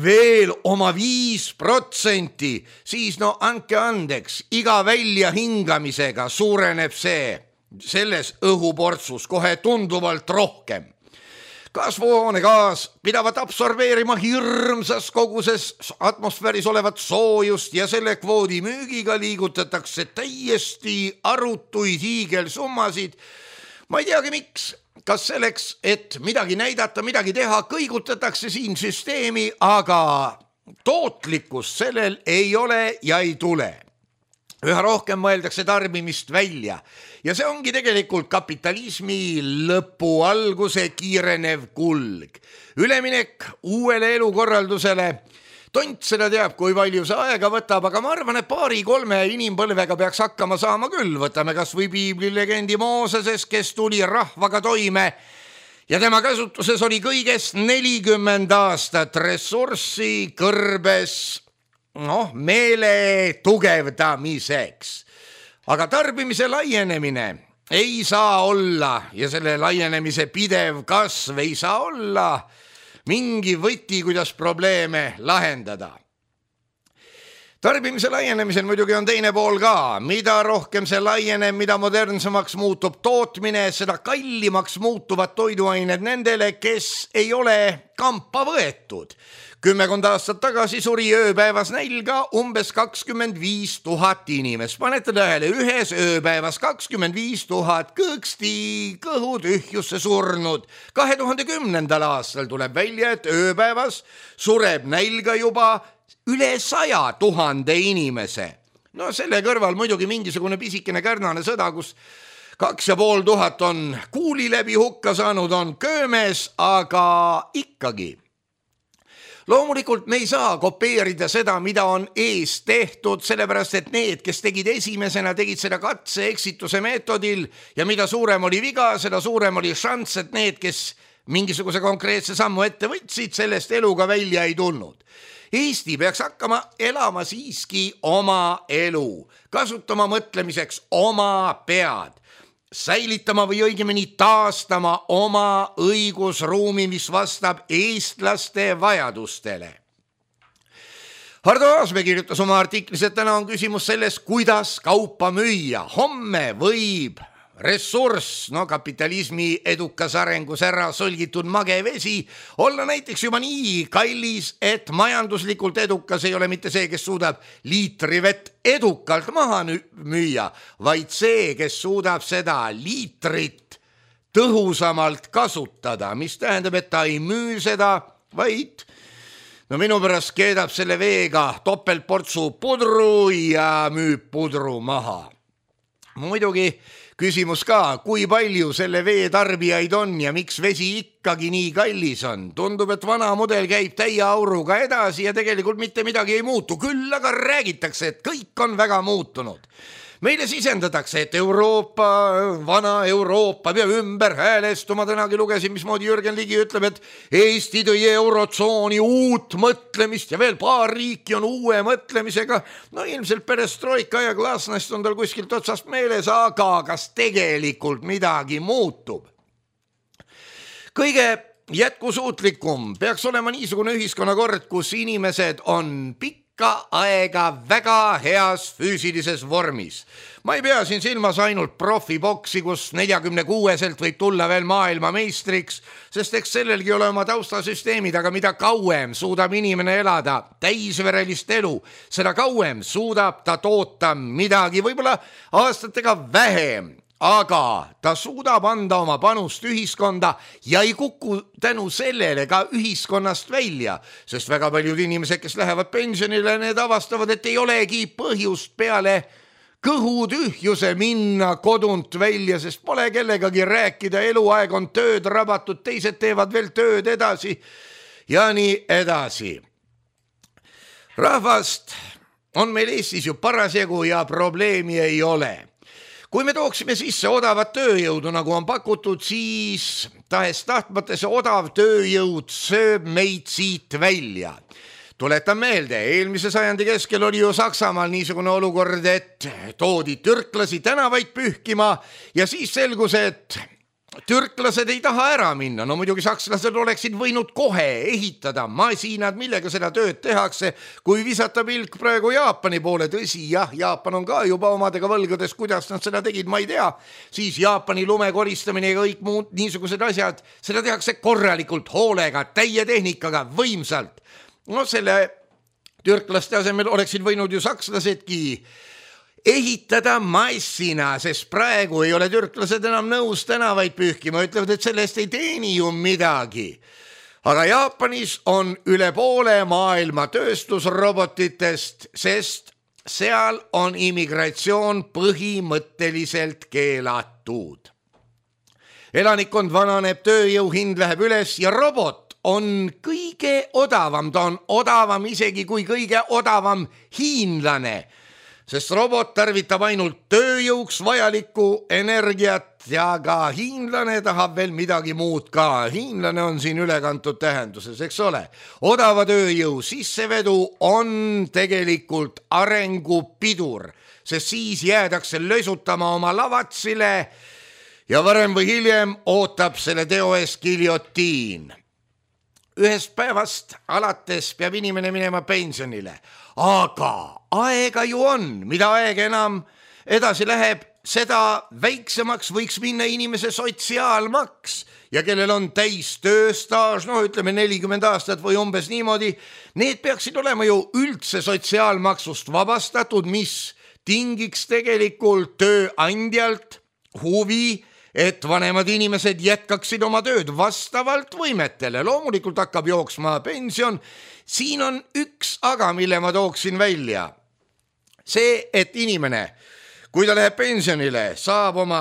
veel oma viis protsenti, siis no andke andeks, iga välja hingamisega suureneb see selles õhuportsus kohe tunduvalt rohkem. Kasvuhoonegaas pidavat absorbeerima hirmsas koguses atmosfääris olevat soojust ja selle kvoodi müügiga liigutatakse täiesti arutuid hiigelsummasid. Ma ei teagi miks, kas selleks, et midagi näidata, midagi teha, kõigutatakse siin süsteemi, aga tootlikkust sellel ei ole ja ei tule. Üha rohkem mõeldakse tarbimist välja ja see ongi tegelikult kapitalismi lõpu alguse kiirenev kulg. Üleminek uuele elukorraldusele. Tont seda teab, kui palju see aega võtab, aga ma arvan, et paari-kolme inimpõlvega peaks hakkama saama küll. Võtame kas või piiblilegendi Mooses, kes tuli rahvaga toime ja tema käsutuses oli kõigest nelikümmend aastat ressurssi kõrbes noh, meele tugevdamiseks. Aga tarbimise laienemine ei saa olla ja selle laienemise pidev kasv ei saa olla mingi võti, kuidas probleeme lahendada. Tarbimise laienemisel muidugi on teine pool ka. Mida rohkem see laieneb, mida modernsemaks muutub tootmine, seda kallimaks muutuvad toiduained nendele, kes ei ole kampa võetud. Kümmekond aastat tagasi suri ööpäevas nälga umbes kakskümmend viis tuhat inimest. Panete tähele, ühes ööpäevas kakskümmend viis tuhat kõõksti kõhutühjusse surnud. kahe tuhande kümnendal aastal tuleb välja, et ööpäevas sureb nälga juba üle saja tuhande inimese. No selle kõrval muidugi mingisugune pisikene kärnane sõda, kus kaks ja pool tuhat on kuuli läbi hukka saanud, on köömes, aga ikkagi. Loomulikult me ei saa kopeerida seda, mida on ees tehtud, sellepärast et need, kes tegid esimesena, tegid seda katse eksituse meetodil ja mida suurem oli viga, seda suurem oli šanss, et need, kes mingisuguse konkreetse sammu ette võtsid, sellest eluga välja ei tulnud. Eesti peaks hakkama elama siiski oma elu, kasutama mõtlemiseks oma pead, säilitama või õigemini taastama oma õigusruumi, mis vastab eestlaste vajadustele. Hardo Aasmäe kirjutas oma artiklis, et täna on küsimus selles, kuidas kaupa müüa. Homme võib ressurss, no kapitalismi edukas arengus ära solgitud magevesi, olla näiteks juba nii kallis, et majanduslikult edukas ei ole mitte see, kes suudab liitri vett edukalt maha müüa, vaid see, kes suudab seda liitrit tõhusamalt kasutada, mis tähendab, et ta ei müü seda, vaid no minu pärast keedab selle veega topeltportsu pudru ja müüb pudru maha. Muidugi küsimus ka, kui palju selle vee tarbijaid on ja miks vesi ikkagi nii kallis on. Tundub, et vana mudel käib täie auruga edasi ja tegelikult mitte midagi ei muutu. Küll aga räägitakse, et kõik on väga muutunud. Meile sisendatakse, et Euroopa, vana Euroopa peab ümber häälestuma. Tänagi lugesin, mismoodi Jürgen Ligi ütleb, et Eesti tõi eurotsooni uut mõtlemist ja veel paar riiki on uue mõtlemisega. No ilmselt perestroika ja glasnost on tal kuskilt otsast meeles, aga kas tegelikult midagi muutub? Kõige jätkusuutlikum peaks olema niisugune ühiskonnakord, kus inimesed on pikk ka aega väga heas füüsilises vormis. Ma ei pea siin silmas ainult profiboksi, kus neljakümne kuueselt võib tulla veel maailma meistriks, sest eks sellelgi ole oma taustasüsteemid, aga mida kauem suudab inimene elada täisverelist elu, seda kauem suudab ta toota midagi, võib-olla aastatega vähem, aga ta suudab anda oma panust ühiskonda ja ei kuku tänu sellele ka ühiskonnast välja, sest väga paljud inimesed, kes lähevad pensionile, need avastavad, et ei olegi põhjust peale kõhutühjuse minna kodunt välja, sest pole kellegagi rääkida, eluaeg on tööd rabatud, teised teevad veel tööd edasi ja nii edasi. Rahvast on meil Eestis ju parasjagu ja probleemi ei ole. Kui me tooksime sisse odavat tööjõudu, nagu on pakutud, siis tahes tahtmata see odav tööjõud sööb meid siit välja. Tuletan meelde, eelmise sajandi keskel oli ju Saksamaal niisugune olukord, et toodi türklasi tänavaid pühkima ja siis selgus, et türklased ei taha ära minna. No muidugi sakslased oleksid võinud kohe ehitada masinad, millega seda tööd tehakse, kui visata pilk praegu Jaapani poole. Tõsi, jah, Jaapan on ka juba omadega võlgades, kuidas nad seda tegid, ma ei tea. Siis Jaapani lume koristamine ja kõik muud niisugused asjad, seda tehakse korralikult, hoolega, täie tehnikaga, võimsalt. No selle türklaste asemel oleksid võinud ju sakslasedki ehitada massina, sest praegu ei ole türklased enam nõus tänavaid pühkima, ütlevad, et sellest ei teeni ju midagi. Aga Jaapanis on üle poole maailma tööstusrobotitest, sest seal on immigratsioon põhimõtteliselt keelatud. Elanikkond vananeb, tööjõu hind läheb üles ja robot on kõige odavam, ta on odavam isegi kui kõige odavam hiinlane, sest robot tarvitab ainult tööjõuks vajalikku energiat ja ka hiinlane tahab veel midagi muud ka. Hiinlane on siin ülekantud tähenduses, eks ole. Odava tööjõu sissevedu on tegelikult arengupidur, sest siis jäädakse lösutama oma lavatsile ja varem või hiljem ootab selle teo ees giljotiin. Ühest päevast alates peab inimene minema pensionile, aga aega ju on, mida aeg enam edasi läheb, seda väiksemaks võiks minna inimese sotsiaalmaks ja kellel on täis tööstaaž, no ütleme nelikümmend aastat või umbes niimoodi, need peaksid olema ju üldse sotsiaalmaksust vabastatud, mis tingiks tegelikult tööandjalt huvi, et vanemad inimesed jätkaksid oma tööd vastavalt võimetele. Loomulikult hakkab jooksma pension. Siin on üks aga, mille ma tooksin välja. See, et inimene, kui ta läheb pensionile, saab oma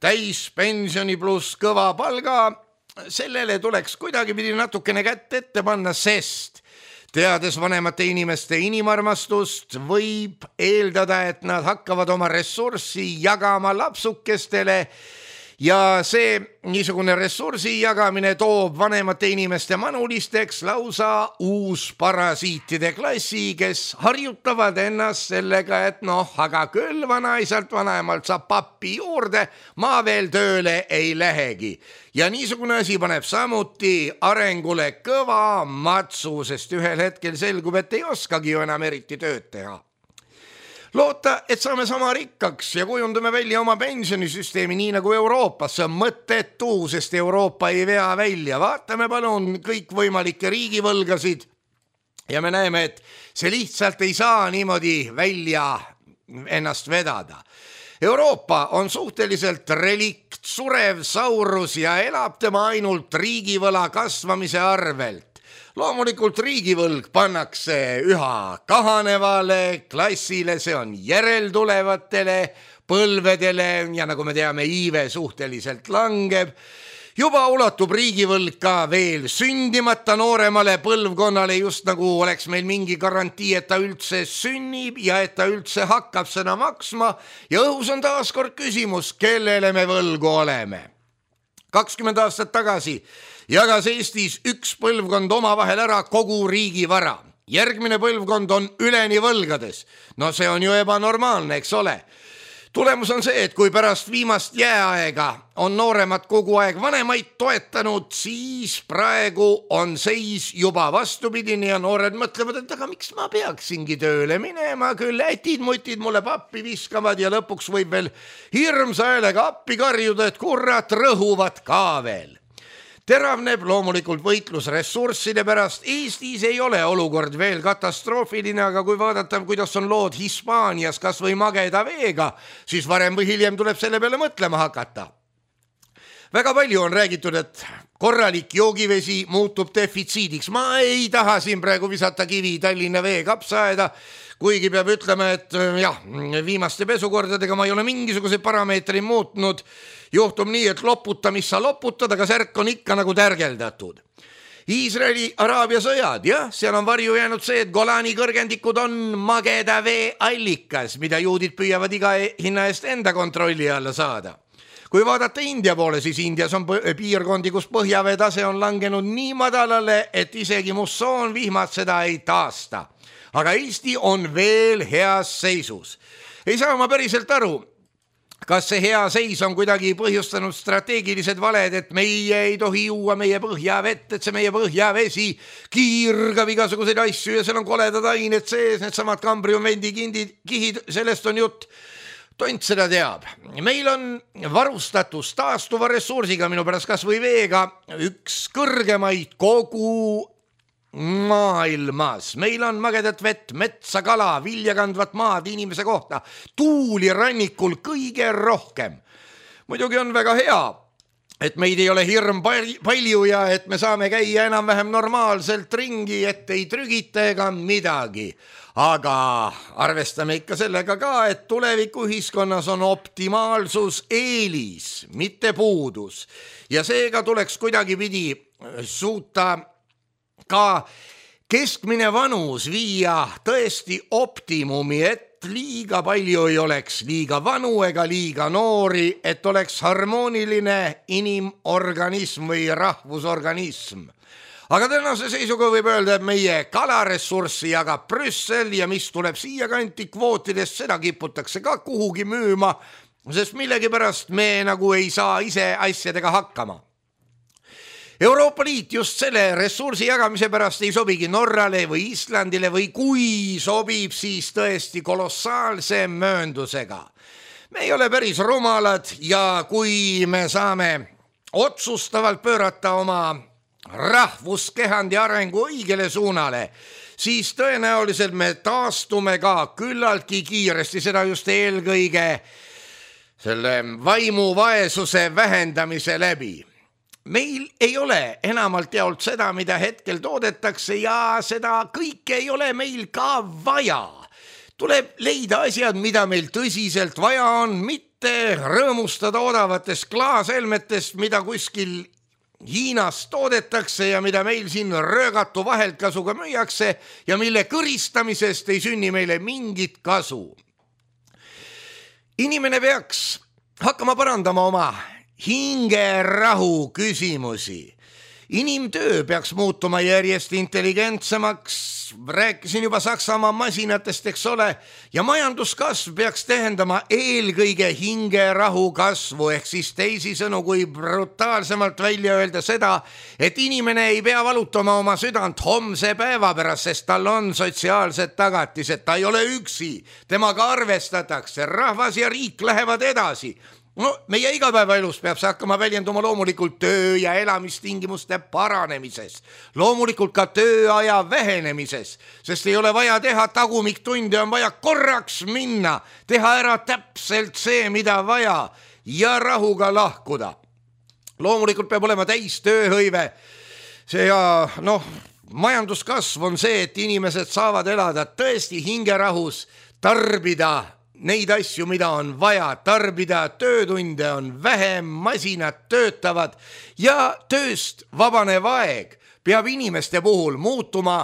täispensioni pluss kõva palga, sellele tuleks kuidagipidi natukene kätt ette panna, sest teades vanemate inimeste inimarmastust, võib eeldada, et nad hakkavad oma ressurssi jagama lapsukestele. Ja see niisugune ressursi jagamine toob vanemate inimeste manulisteks lausa uus parasiitide klassi, kes harjutavad ennast sellega, et noh, aga küll vanaisalt vanaemalt saab pappi juurde, ma veel tööle ei lähegi. Ja niisugune asi paneb samuti arengule kõva matsu, sest ühel hetkel selgub, et ei oskagi ju enam eriti tööd teha. Loota, et saame sama rikkaks ja kujundame välja oma pensionisüsteemi nii nagu Euroopas, see on mõttetu, sest Euroopa ei vea välja. Vaatame palun kõik võimalikke riigivõlgasid ja me näeme, et see lihtsalt ei saa niimoodi välja ennast vedada. Euroopa on suhteliselt relikt, surev saurus ja elab tema ainult riigivõla kasvamise arvelt. Loomulikult riigivõlg pannakse üha kahanevale klassile, see on järeltulevatele põlvedele ja nagu me teame, iive suhteliselt langeb. Juba ulatub riigivõlg ka veel sündimata nooremale põlvkonnale, just nagu oleks meil mingi garantii, et ta üldse sünnib ja et ta üldse hakkab seda maksma ja õhus on taas kord küsimus, kellele me võlgu oleme. kakskümmend aastat tagasi jagas Eestis üks põlvkond omavahel ära kogu riigi vara. Järgmine põlvkond on üleni võlgades. No see on ju ebanormaalne, eks ole. Tulemus on see, et kui pärast viimast jääaega on nooremad kogu aeg vanemaid toetanud, siis praegu on seis juba vastupidine ja noored mõtlevad, et aga miks ma peaksingi tööle minema, küll ätid-mutid mulle pappi viskavad ja lõpuks võib veel hirmsa häälega appi karjuda, et kurat rõhuvad ka veel. Teravneb loomulikult võitlus ressursside pärast. Eestis ei ole olukord veel katastroofiline, aga kui vaadata, kuidas on lood Hispaanias kas või mageda veega, siis varem või hiljem tuleb selle peale mõtlema hakata. Väga palju on räägitud, et korralik joogivesi muutub defitsiidiks. Ma ei taha siin praegu visata kivi Tallinna vee kapsaaeda, kuigi peab ütlema, et jah, viimaste pesukordadega ma ei ole mingisuguse parameetri muutnud. Juhtub nii, et loputa, mis sa loputad, aga särk on ikka nagu tärgeldatud. Iisraeli Araabia sõjad, jah, seal on varju jäänud see, et Golani kõrgendikud on mageda vee allikas, mida juudid püüavad iga hinna eest enda kontrolli alla saada. Kui vaadata India poole, siis Indias on piirkondi, kus põhjavee tase on langenud nii madalale, et isegi mussoonvihmad seda ei taasta. Aga Eesti on veel heas seisus. Ei saa ma päriselt aru, kas see hea seis on kuidagi põhjustanud strateegilised valed, et meie ei tohi juua meie põhjavett, et see meie põhjavesi kiirgab igasuguseid asju ja seal on koledad ained sees, need samad kambriumvendi kihid, sellest on jutt. Tont seda teab. Meil on varustatus taastuva ressursiga, minu pärast kas või veega, üks kõrgemaid kogu maailmas. Meil on magedat vett, metsa, kala, viljakandvat maad inimese kohta, tuuli rannikul kõige rohkem. Muidugi on väga hea, et meid ei ole hirm palju ja et me saame käia enam-vähem normaalselt ringi, et ei trügita ega midagi. Aga arvestame ikka sellega ka, et tuleviku ühiskonnas on optimaalsus eelis, mitte puudus. Ja seega tuleks kuidagi pidi suuta ka keskmine vanus viia tõesti optimumi, et liiga palju ei oleks liiga vanu ega liiga noori, et oleks harmooniline inimorganism või rahvusorganism. Aga tänase seisuga võib öelda, et meie kalaressurssi jagab Brüssel ja mis tuleb siia kanti kvootidest, seda kiputakse ka kuhugi müüma, sest millegipärast me nagu ei saa ise asjadega hakkama. Euroopa Liit just selle ressursi jagamise pärast ei sobigi Norrale või Islandile või kui sobib, siis tõesti kolossaalse mööndusega. Me ei ole päris rumalad ja kui me saame otsustavalt pöörata oma rahvuskehandi arengu õigele suunale, siis tõenäoliselt me taastume ka küllaltki kiiresti, seda just eelkõige selle vaimuvaesuse vähendamise läbi. Meil ei ole enamalt jaolt seda, mida hetkel toodetakse ja seda kõike ei ole meil ka vaja. Tuleb leida asjad, mida meil tõsiselt vaja on, mitte rõõmustada odavatest klaaselmetest, mida kuskil Hiinas toodetakse ja mida meil siin röögatu vaheltkasuga müüakse ja mille kõristamisest ei sünni meile mingit kasu. Inimene peaks hakkama parandama oma hingerahu küsimusi. Inimtöö peaks muutuma järjest intelligentsemaks, rääkisin juba Saksamaa masinatest, eks ole, ja majanduskasv peaks tähendama eelkõige hingerahu kasvu, ehk siis teisisõnu, kui brutaalsemalt välja öelda seda, et inimene ei pea valutama oma südant homse päeva pärast, sest tal on sotsiaalsed tagatised, ta ei ole üksi, temaga arvestatakse, rahvas ja riik lähevad edasi. No, meie igapäevaelus peab see hakkama väljenduma loomulikult töö- ja elamistingimuste paranemises, loomulikult ka tööaja vähenemises, sest ei ole vaja teha tagumiktunde, on vaja korraks minna, teha ära täpselt see, mida vaja ja rahuga lahkuda. Loomulikult peab olema täis tööhõive, see ja noh, majanduskasv on see, et inimesed saavad elada tõesti hingerahus, tarbida neid asju, mida on vaja tarbida, töötunde on vähem, masinad töötavad ja tööst vabanev aeg peab inimeste puhul muutuma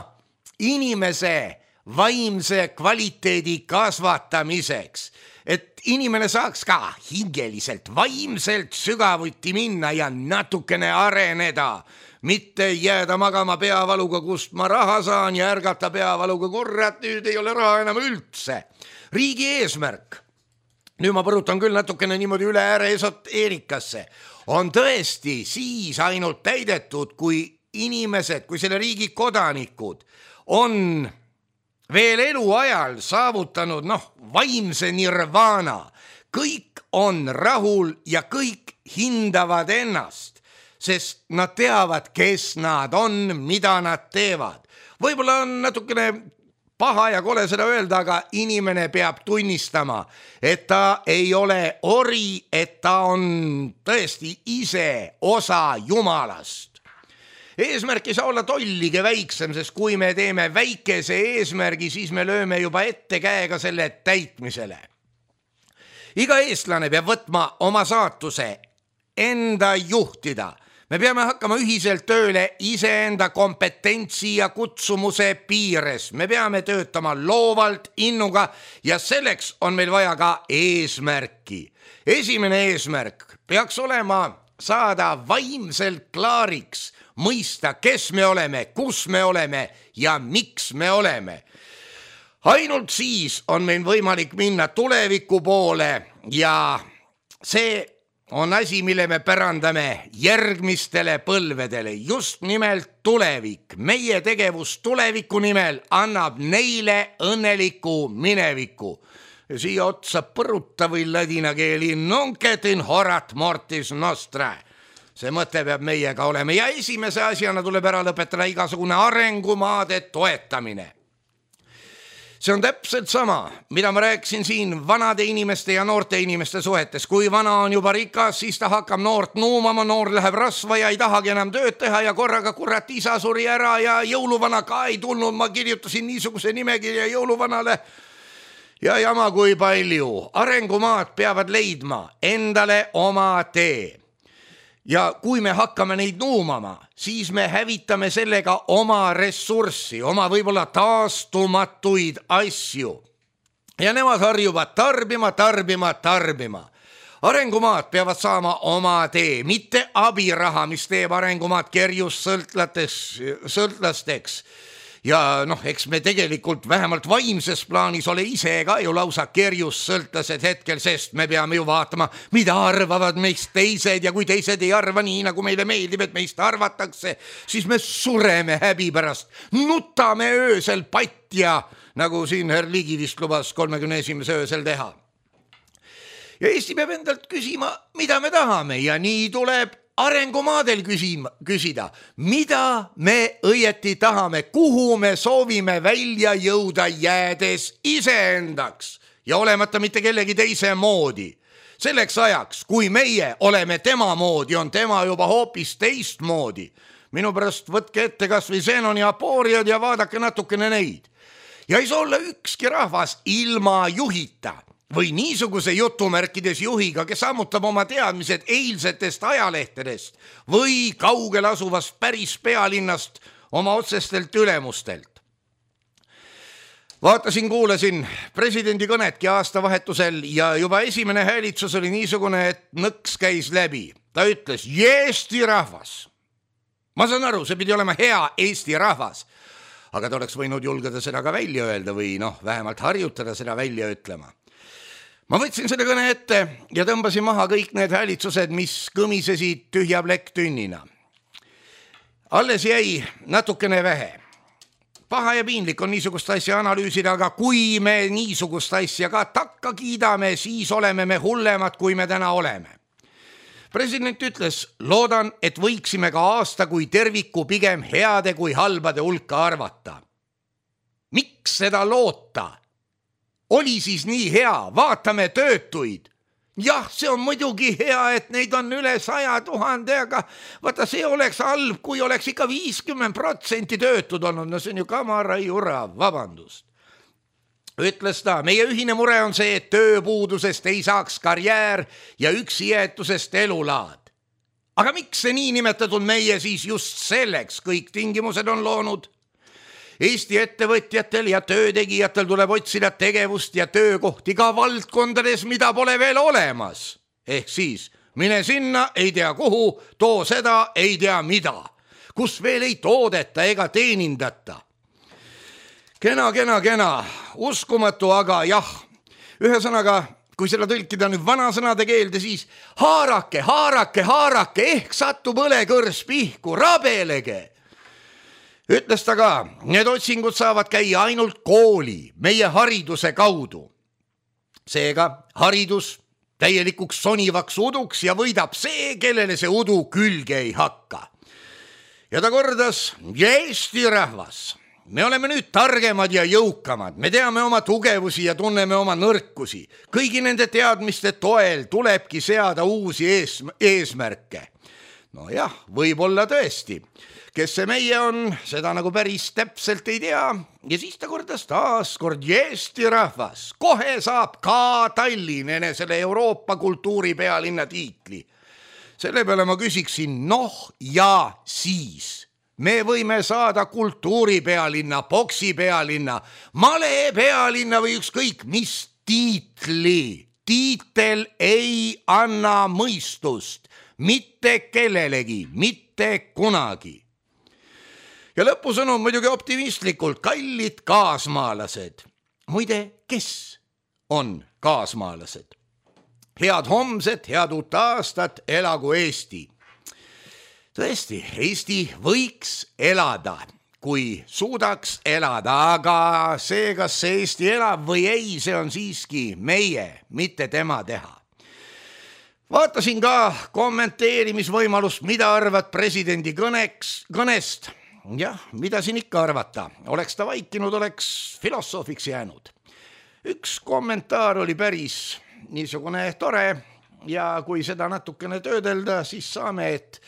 inimese vaimse kvaliteedi kasvatamiseks, et inimene saaks ka hingeliselt, vaimselt sügavuti minna ja natukene areneda, mitte jääda magama peavaluga, kust ma raha saan ja ärgata peavaluga, kurat, nüüd ei ole raha enam üldse. Riigi eesmärk, nüüd ma põrutan küll natukene niimoodi üle ääre esoteerikasse, on tõesti siis ainult täidetud, kui inimesed, kui selle riigi kodanikud on veel eluajal saavutanud noh, vaimse nirvana. Kõik on rahul ja kõik hindavad ennast, sest nad teavad, kes nad on, mida nad teevad. Võib-olla on natukene paha ja kole seda öelda, aga inimene peab tunnistama, et ta ei ole ori, et ta on tõesti ise osa Jumalast. Eesmärk ei saa olla tollige väiksem, sest kui me teeme väikese eesmärgi, siis me lööme juba ette käega selle täitmisele. Iga eestlane peab võtma oma saatuse enda juhtida. me peame hakkama ühiselt tööle iseenda kompetentsi ja kutsumuse piires. Me peame töötama loovalt, innuga ja selleks on meil vaja ka eesmärki. Esimene eesmärk peaks olema saada vaimselt klaariks, mõista, kes me oleme, kus me oleme ja miks me oleme. Ainult siis on meil võimalik minna tuleviku poole ja see on asi, mille me pärandame järgmistele põlvedele. Just nimelt tulevik. Meie tegevus tuleviku nimel annab neile õnneliku mineviku. Ja siia otsa põruta või ladina keeli nunc in horat mortis nostra. See mõte peab meiega olema ja esimese asjana tuleb ära lõpetada igasugune arengumaade toetamine. See on täpselt sama, mida ma rääkisin siin vanade inimeste ja noorte inimeste suhetes. Kui vana on juba rikas, siis ta hakkab noort nuumama, noor läheb rasva ja ei tahagi enam tööd teha ja korraga kurat isa suri ära ja jõuluvana ka ei tulnud. Ma kirjutasin niisuguse nimekirja jõuluvanale ja jama kui palju. Arengumaad peavad leidma endale oma tee. Ja kui me hakkame neid nuumama, siis me hävitame sellega oma ressurssi, oma võib-olla taastumatuid asju. Ja nemad harjuvad tarbima, tarbima, tarbima. Arengumaad peavad saama oma tee, mitte abiraha, mis teeb arengumaad kerjus sõltlasteks. Ja noh, eks me tegelikult vähemalt vaimses plaanis ole ise ka ju lausa kerjus sõltlased hetkel, sest me peame ju vaatama, mida arvavad meist teised ja kui teised ei arva nii, nagu meile meeldib, et meist arvatakse, siis me sureme häbi pärast, nutame öösel patja, nagu siin herr Ligi vist lubas kolmekümne esimese öösel teha. Ja Eesti peab endalt küsima, mida me tahame ja nii tuleb arengumaadel küsima, küsida, mida me õieti tahame, kuhu me soovime välja jõuda jäädes iseendaks ja olemata mitte kellegi teise moodi. Selleks ajaks, kui meie oleme tema moodi, on tema juba hoopis teist moodi. Minu pärast võtke ette kas või Zenon ja Aporiad ja vaadake natukene neid. Ja ei saa olla ükski rahvas ilma juhita. Või niisuguse jutumärkides juhiga, kes ammutab oma teadmised eilsetest ajalehtedest või kaugel asuvast päris pealinnast oma otsestelt ülemustelt. Vaatasin, kuulasin presidendi kõnetki aastavahetusel ja juba esimene häälitsus oli niisugune, et nõks käis läbi. Ta ütles, Eesti rahvas. Ma saan aru, see pidi olema hea Eesti rahvas, aga ta oleks võinud julgeda seda ka välja öelda või noh, vähemalt harjutada seda välja ütlema. Ma võtsin selle kõne ette ja tõmbasin maha kõik need häälitsused, mis kõmisesid tühja plekk tünnina. Alles jäi natukene vähe. Paha ja piinlik on niisugust asja analüüsida, aga kui me niisugust asja ka takka kiidame, siis oleme me hullemad, kui me täna oleme. President ütles, loodan, et võiksime ka aasta kui terviku pigem heade kui halbade hulka arvata. Miks seda loota? Oli siis nii hea, vaatame töötuid. Jah, see on muidugi hea, et neid on üle saja tuhande, aga vaata, see oleks halb, kui oleks ikka viiskümmend protsenti töötud olnud. No see on ju kamara jura, vabandust. Ütles ta, meie ühine mure on see, et tööpuudusest ei saaks karjäär ja üksi jäetusest elulaad. Aga miks see nii nimetatud meie siis just selleks kõik tingimused on loonud? Eesti ettevõtjatel ja töötegijatel tuleb otsida tegevust ja töökohti ka valdkondades, mida pole veel olemas. Ehk siis, mine sinna, ei tea kuhu, too seda, ei tea mida, kus veel ei toodeta ega teenindata. Kena, kena, kena, uskumatu, aga jah, ühesõnaga, kui seda tõlkida nüüd vanasõnade keelde, siis haarake, haarake, haarake, ehk satub õlekõrs pihku, rabelege. Ütles ta ka, need otsingud saavad käia ainult kooli, meie hariduse kaudu. Seega haridus täielikuks sonivaks uduks ja võidab see, kellele see udu külge ei hakka. Ja ta kordas, Eesti rahvas, me oleme nüüd targemad ja jõukamad, me teame oma tugevusi ja tunneme oma nõrkusi. Kõigi nende teadmiste toel tulebki seada uusi ees, eesmärke. No jah, võib-olla tõesti. Kes see meie on, seda nagu päris täpselt ei tea. Ja siis ta kordas taas kord Eesti rahvas. Kohe saab ka Tallinn enne selle Euroopa kultuuri pealinna tiitli. Selle peale ma küsiksin, noh ja siis. Me võime saada kultuuripealinna, poksipealinna, malepealinna või ükskõik mis tiitli. Tiitel ei anna mõistust, mitte kellelegi, mitte kunagi. Ja lõpusõnum muidugi optimistlikult, kallid kaasmaalased. Muide, kes on kaasmaalased? Head homset, head uut aastat, elagu Eesti. Tõesti, Eesti võiks elada, kui suudaks elada, aga see, kas see Eesti elab või ei, see on siiski meie, mitte tema teha. Vaatasin ka kommenteerimisvõimalust, mida arvad presidendi kõneks, kõnest. Jah, mida siin ikka arvata? Oleks ta vaikinud, oleks filosoofiks jäänud. Üks kommentaar oli päris niisugune tore ja kui seda natukene töödelda, siis saame, et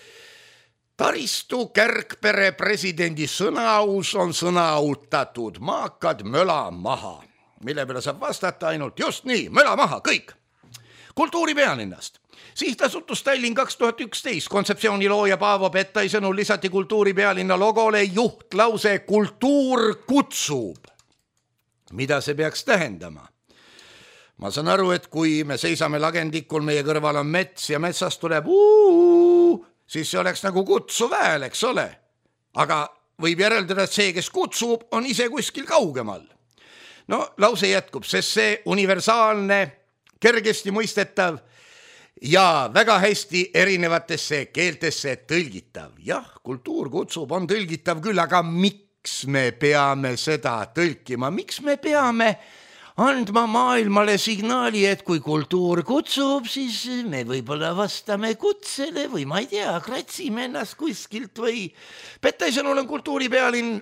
Taristu Kärgpere presidendi sõnaaus on sõnautatud, maakad möla maha, mille peale saab vastata ainult just nii, möla maha, kõik. Kultuuripealinnast. Sihtasutus Tallinn kaks tuhat üksteist kontseptsiooni looja Paavo Pettai sõnul lisati kultuuripealinna logole juhtlause kultuur kutsub. Mida see peaks tähendama? Ma saan aru, et kui me seisame lagendikul, meie kõrval on mets ja metsast tuleb uu, siis see oleks nagu kutsuv hääl, eks ole. Aga võib järeldada, et see, kes kutsub, on ise kuskil kaugemal. No, lause jätkub, sest see universaalne, kergesti mõistetav ja väga hästi erinevatesse keeltesse tõlgitav. Jah, kultuur kutsub, on tõlgitav küll, aga miks me peame seda tõlkima? Miks me peame andma maailmale signaali, et kui kultuur kutsub, siis me võib-olla vastame kutsele või ma ei tea, kratsime ennast kuskilt või Pettai sõnul on kultuuripealinn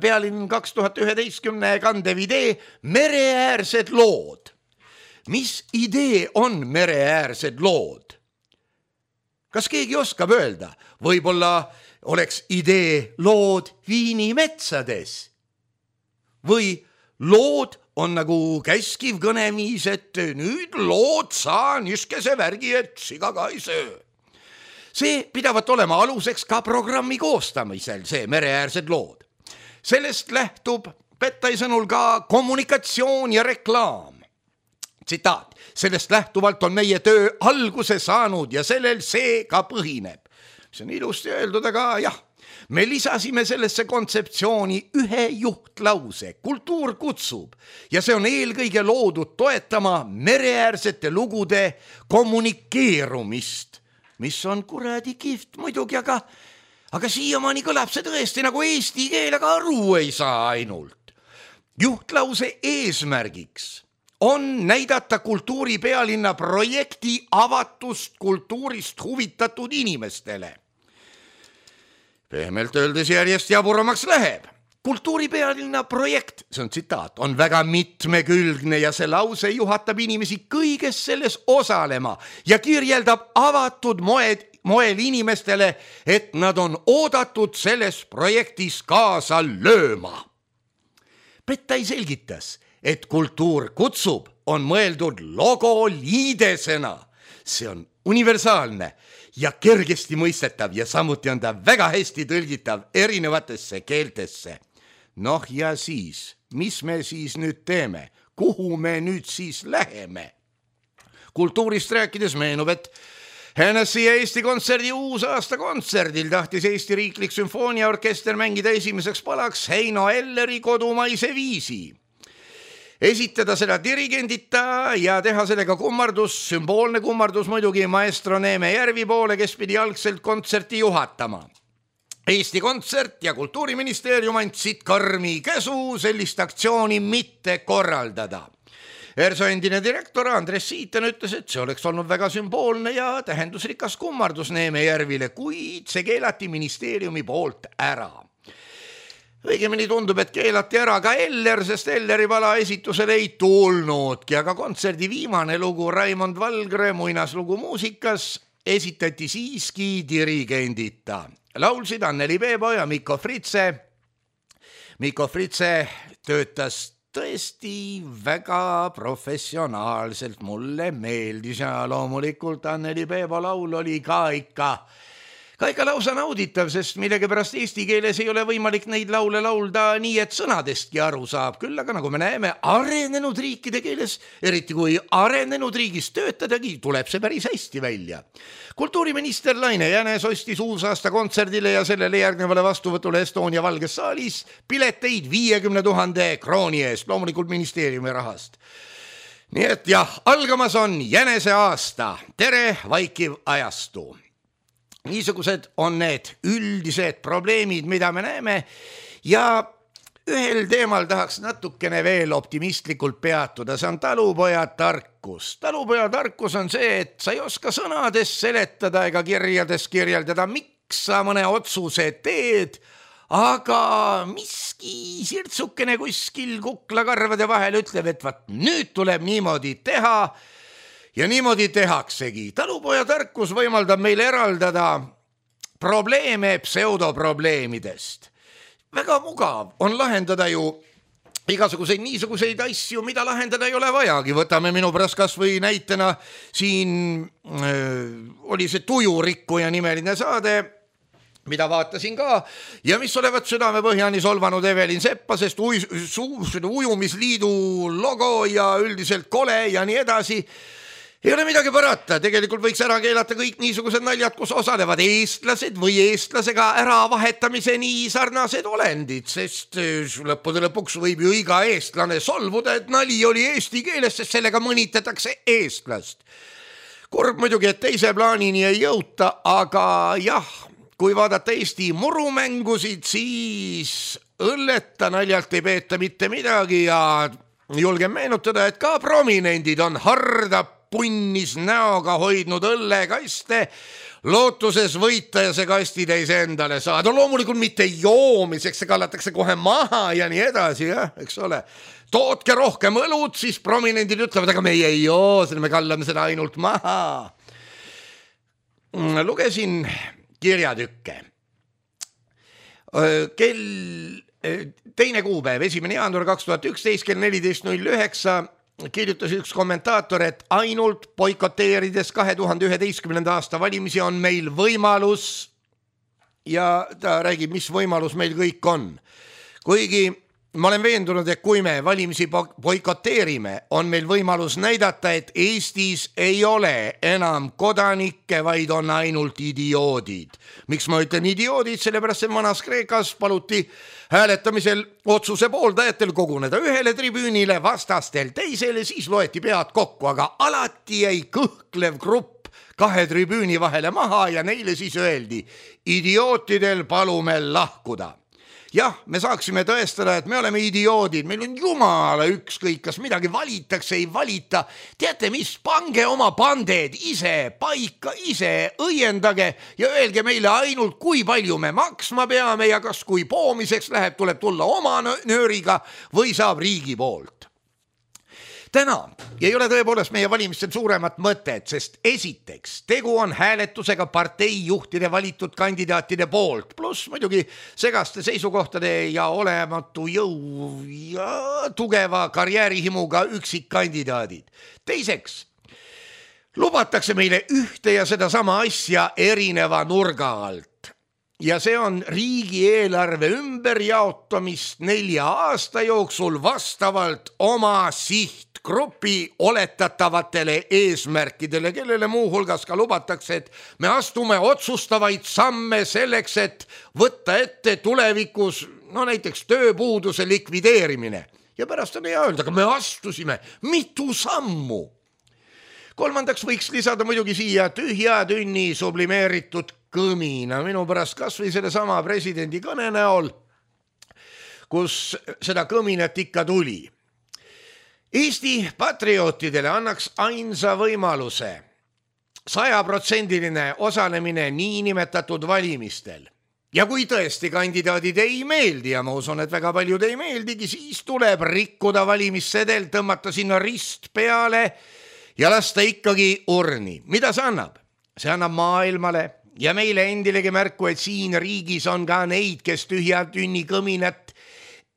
pealinn kaks tuhat üheteistkümne kandev idee mereäärsed lood. Mis idee on mereäärsed lood? Kas keegi oskab öelda? Võib-olla oleks idee lood Viini metsades. Või lood on nagu käskiv kõneviis, et nüüd lood saa niskese värgi, et siga ka ei söö. See pidavat olema aluseks ka programmi koostamisel, see mereäärsed lood. Sellest lähtub Pettai sõnul ka kommunikatsioon ja reklaam. Tsitaat, sellest lähtuvalt on meie töö alguse saanud ja sellel see ka põhineb. See on ilusti öeldud, aga jah, me lisasime sellesse kontseptsiooni ühe juhtlause, kultuur kutsub ja see on eelkõige loodud toetama mereäärsete lugude kommunikeerumist, mis on kuradi kihvt muidugi, aga, aga siiamaani kõlab see tõesti nagu eesti keel, aga aru ei saa ainult. Juhtlause eesmärgiks on näidata kultuuripealinna projekti avatust kultuurist huvitatud inimestele. Pehmelt öeldes järjest jaburamaks läheb. Kultuuripealinna projekt, see on tsitaat, on väga mitmekülgne ja see lause juhatab inimesi kõiges selles osalema ja kirjeldab avatud moed, moel inimestele, et nad on oodatud selles projektis kaasa lööma. Pettai selgitas, et kultuur kutsub on mõeldud logo liidesena. See on universaalne ja kergesti mõistetav ja samuti on ta väga hästi tõlgitav erinevatesse keeltesse. Noh ja siis, mis me siis nüüd teeme? Kuhu me nüüd siis läheme? Kultuurist rääkides meenub, et Hennessy ja Eesti Kontserdi uusaasta kontserdil tahtis Eesti Riiklik Sümfooniaorkester mängida esimeseks palaks Heino Elleri kodumaise viisi. Esitada seda dirigendita ja teha sellega kummardus, sümboolne kummardus muidugi maestro Neeme Järvi poole, kes pidi algselt kontserti juhatama. Eesti Kontsert ja Kultuuriministeerium andsid karmi käsu sellist aktsiooni mitte korraldada. ERSO endine direktor Andres Siitan ütles, et see oleks olnud väga sümboolne ja tähendusrikas kummardus Neeme Järvile, kuid see keelati ministeeriumi poolt ära. Õigemini tundub, et keelati ära ka Eller, sest Elleri pala esitusele ei tulnudki, aga kontserdi viimane lugu Raimond Valgre muinaslugu muusikas esitati siiski dirigendita. Laulsid Anneli Peebo ja Mikko Fritse. Mikko Fritse töötas tõesti väga professionaalselt, mulle meeldis ja loomulikult Anneli Peebo laul oli ka ikka ka ikka lausa nauditav, sest millegipärast eesti keeles ei ole võimalik neid laule laulda nii, et sõnadestki aru saab. Küll aga nagu me näeme, arenenud riikide keeles, eriti kui arenenud riigis töötadagi, tuleb see päris hästi välja. Kultuuriminister Laine Jänes ostis uusaasta kontserdile ja sellele järgnevale vastuvõtule Estonia Valges saalis pileteid viiekümne tuhande krooni eest, loomulikult ministeeriumi rahast. Nii et jah, algamas on Jänese aasta. Tere, vaikiv ajastu! Niisugused on need üldised probleemid, mida me näeme ja ühel teemal tahaks natukene veel optimistlikult peatuda, see on talupoja tarkus. Talupoja tarkus on see, et sa ei oska sõnades seletada ega kirjades kirjeldada, miks sa mõne otsuse teed, aga miski sirtsukene kuskil kuklakarvade vahel ütleb, et vaat nüüd tuleb niimoodi teha. Ja niimoodi tehaksegi. Talupoja tarkus võimaldab meil eraldada probleeme pseudoprobleemidest. Väga mugav on lahendada ju igasuguseid niisuguseid asju, mida lahendada ei ole vajagi. Võtame minu pärast kas või näitena siin äh, oli see Tujurikkuja nimeline saade, mida vaatasin ka ja mis olevat südame põhjani solvanud Evelin Seppa, sest uj, su, ujumisliidu logo ja üldiselt kole ja nii edasi. Ei ole midagi parata, tegelikult võiks ära keelata kõik niisugused naljad, kus osalevad eestlased või eestlasega ära vahetamise nii sarnased olendid, sest lõppude lõpuks võib ju iga eestlane solvuda, et nali oli eesti keeles, sest sellega mõnitatakse eestlast. Kurb muidugi, et teise plaanini ei jõuta, aga jah, kui vaadata Eesti murumängusid, siis õlleta naljalt ei peeta mitte midagi ja julgen meenutada, et ka prominendid on harda punnis näoga hoidnud õllekaste, lootuses võita ja see kastitäis endale saada. Loomulikult mitte joomiseks, see kallatakse kohe maha ja nii edasi, jah, eks ole. Tootke rohkem õlut, siis prominendid ütlevad, aga meie ei joo, me kallame seda ainult maha. Lugesin kirjatükke. Kell teine kuupäev, esimene jaanuar kaks tuhat üksteist, kell neliteist null üheksa kirjutas üks kommentaator, et ainult boikoteerides kahe tuhande üheteistkümnenda aasta valimisi on meil võimalus ja ta räägib, mis võimalus meil kõik on. Kuigi ma olen veendunud, et kui me valimisi boikoteerime, on meil võimalus näidata, et Eestis ei ole enam kodanikke, vaid on ainult idioodid. Miks ma ütlen idioodid? Sellepärast, et vanas Kreekas paluti hääletamisel otsuse pooldajatel koguneda ühele tribüünile, vastastel teisele, siis loeti pead kokku, aga alati jäi kõhklev grupp kahe tribüüni vahele maha ja neile siis öeldi, idiootidel palume lahkuda. Jah, me saaksime tõestada, et me oleme idioodid, meil on jumala ükskõik, kas midagi valitakse, ei valita. Teate mis, pange oma panded ise paika, ise õiendage ja öelge meile ainult, kui palju me maksma peame ja kas kui poomiseks läheb, tuleb tulla oma nööriga või saab riigi poolt. Täna ei ole tõepoolest meie valimistel suuremat mõtet, sest esiteks tegu on hääletusega parteijuhtide valitud kandidaatide poolt, pluss muidugi segaste seisukohtade ja olematu jõu ja tugeva karjäärihimuga üksikkandidaadid. Teiseks, lubatakse meile ühte ja sedasama asja erineva nurga alt. Ja see on riigieelarve ümberjaotamist nelja aasta jooksul vastavalt oma siht grupi oletatavatele eesmärkidele, kellele muuhulgas ka lubatakse, et me astume otsustavaid samme selleks, et võtta ette tulevikus, no näiteks tööpuuduse likvideerimine. Ja pärast on hea öelda, aga me astusime mitu sammu. Kolmandaks võiks lisada muidugi siia tühja tünni sublimeeritud kõmina, minu pärast kas või selle sama presidendi kõne näol, kus seda kõminat ikka tuli. Eesti patriootidele annaks ainsa võimaluse sajaprotsendiline osalemine niinimetatud valimistel. Ja kui tõesti kandidaadid ei meeldi ja ma usun, et väga paljud ei meeldigi, siis tuleb rikkuda valimissedel, tõmmata sinna rist peale ja lasta ikkagi urni. Mida see annab? See annab maailmale ja meile endilegi märku, et siin riigis on ka neid, kes tühja tünni kõminat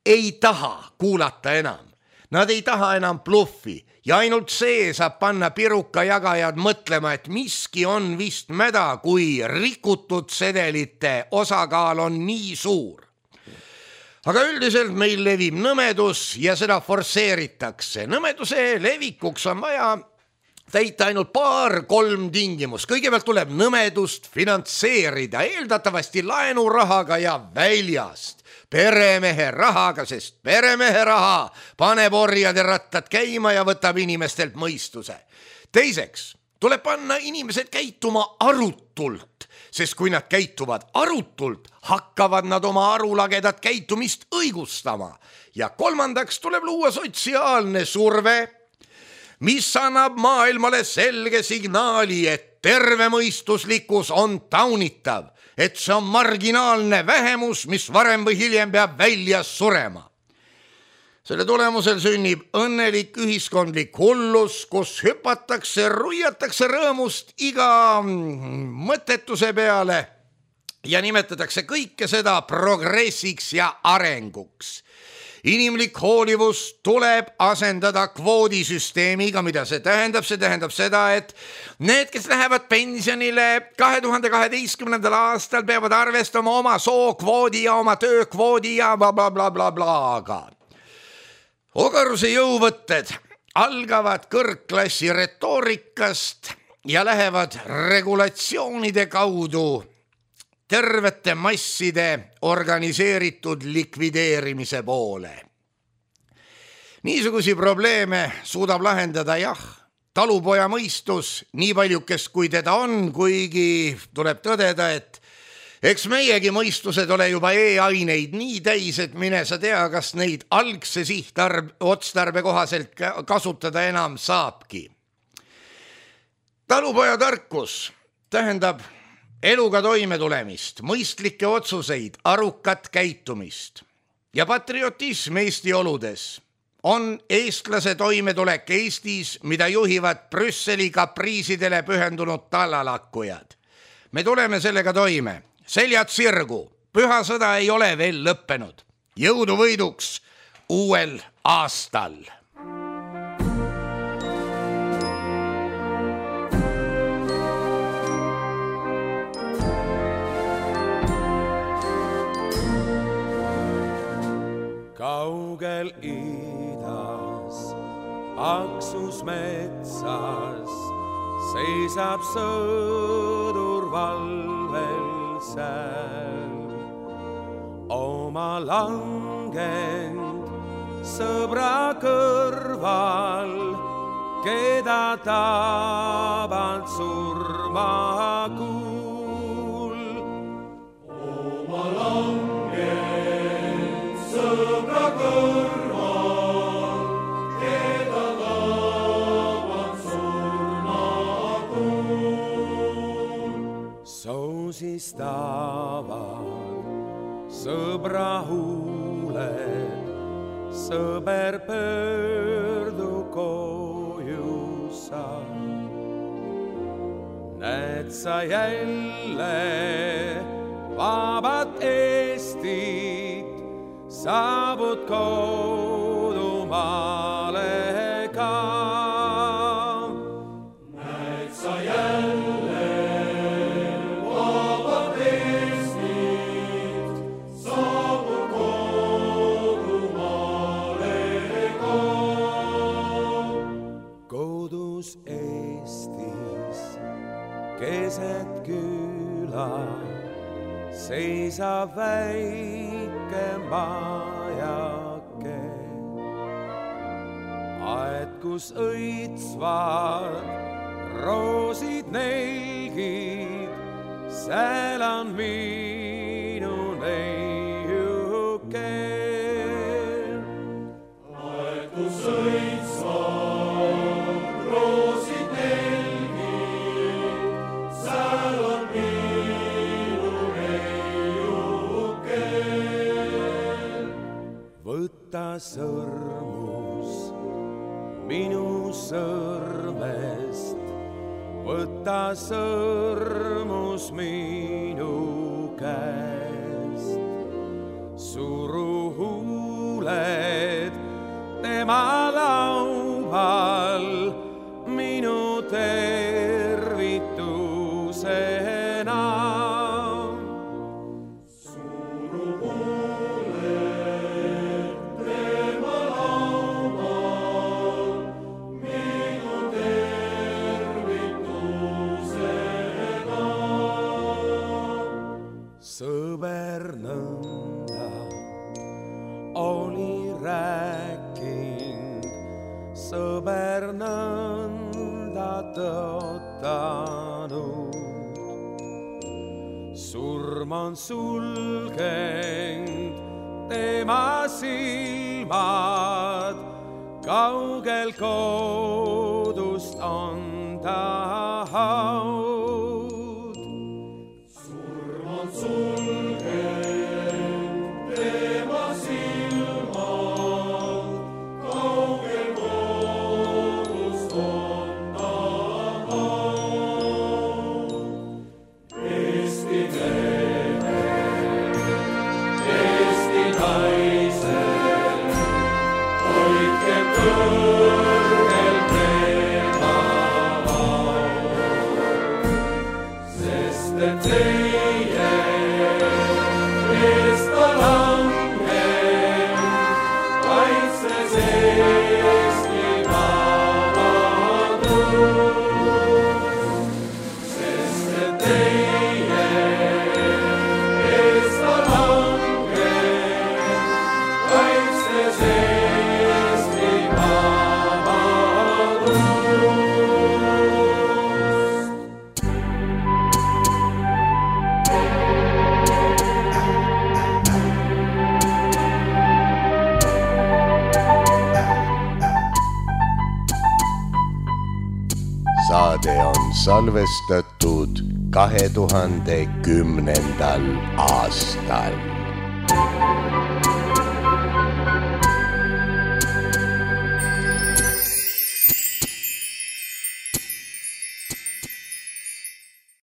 ei taha kuulata enam. Nad ei taha enam bluffi ja ainult see saab panna piruka jagajad mõtlema, et miski on vist mäda, kui rikutud sedelite osakaal on nii suur. Aga üldiselt meil levib nõmedus ja seda forsseeritakse. Nõmeduse levikuks on vaja täita ainult paar-kolm tingimus. Kõigepealt tuleb nõmedust finantseerida, eeldatavasti laenurahaga ja väljast. Peremehe rahaga, sest peremehe raha paneb orjade rattad käima ja võtab inimestelt mõistuse. Teiseks tuleb panna inimesed käituma arutult, sest kui nad käituvad arutult, hakkavad nad oma arulagedat käitumist õigustama. Ja kolmandaks tuleb luua sotsiaalne surve, mis annab maailmale selge signaali, et tervemõistuslikkus on taunitav, et see on marginaalne vähemus, mis varem või hiljem peab välja surema. Selle tulemusel sünnib õnnelik ühiskondlik hullus, kus hüpatakse, ruiatakse rõõmust iga mõttetuse peale ja nimetatakse kõike seda progressiks ja arenguks. Inimlik hoolivus tuleb asendada kvoodisüsteemiga, mida see tähendab. See tähendab seda, et need, kes lähevad pensionile kahe tuhande kaheteistkümnendal aastal, peavad arvestama oma sookvoodi ja oma töökvoodi ja bla bla bla bla blaga. Ogaruse jõuvõtted algavad kõrgklassi retoorikast ja lähevad regulatsioonide kaudu tervete masside organiseeritud likvideerimise poole. Niisugusi probleeme suudab lahendada jah, talupoja mõistus, nii paljukest kui teda on, kuigi tuleb tõdeda, et eks meiegi mõistused ole juba e-aineid nii täis, et mine sa tea, kas neid algse sihtarb, otstarbe kohaselt kasutada enam saabki. Talupoja tarkus tähendab eluga toime tulemist, mõistlikke otsuseid, arukat käitumist ja patriotism Eesti oludes on eestlase toimetulek Eestis, mida juhivad Brüsseli kapriisidele pühendunud tallalakkujad. Me tuleme sellega toime, seljad sirgu, püha sõda ei ole veel lõppenud. Jõudu võiduks uuel aastal! Kaugel idas, aksus metsas, seisab sõdur valvel seal. Oma langend sõbra kõrval, keda taband surmakuul. Oma langend sõbra kõrval, keda taband surmakuul. Soosistavad sõbra huuled, sõber pöördu koju sa. Näed sa jälle vabat Eestit, saabud kodumaale ka. Näed sa jälle vabat Eestit, saabud kodumaale ka. Kodus Eestis keset küla seisab väike majake, aed kus õitsvad roosid nelgid, seal on minu neiuke. Aed kus õitsvad roosid nelgid, seal on minu neiuke. Võta sõrmus minu sõrmest, võta sõrmus minu käest. Suru huuled tema laual minu tervitusena. Sõber nõnda oli rääking, sõber nõnda tõotanud. Surm on sulgenud tema silmad, kaugel kodust on ta haud. Sulgenud tema silmad, kaugel kodust on ta haud. Eesti mehe, Eesti naise, hoidke kõrgel tema laud, sest et teie saade on salvestatud kahe tuhande kümnendal aastal.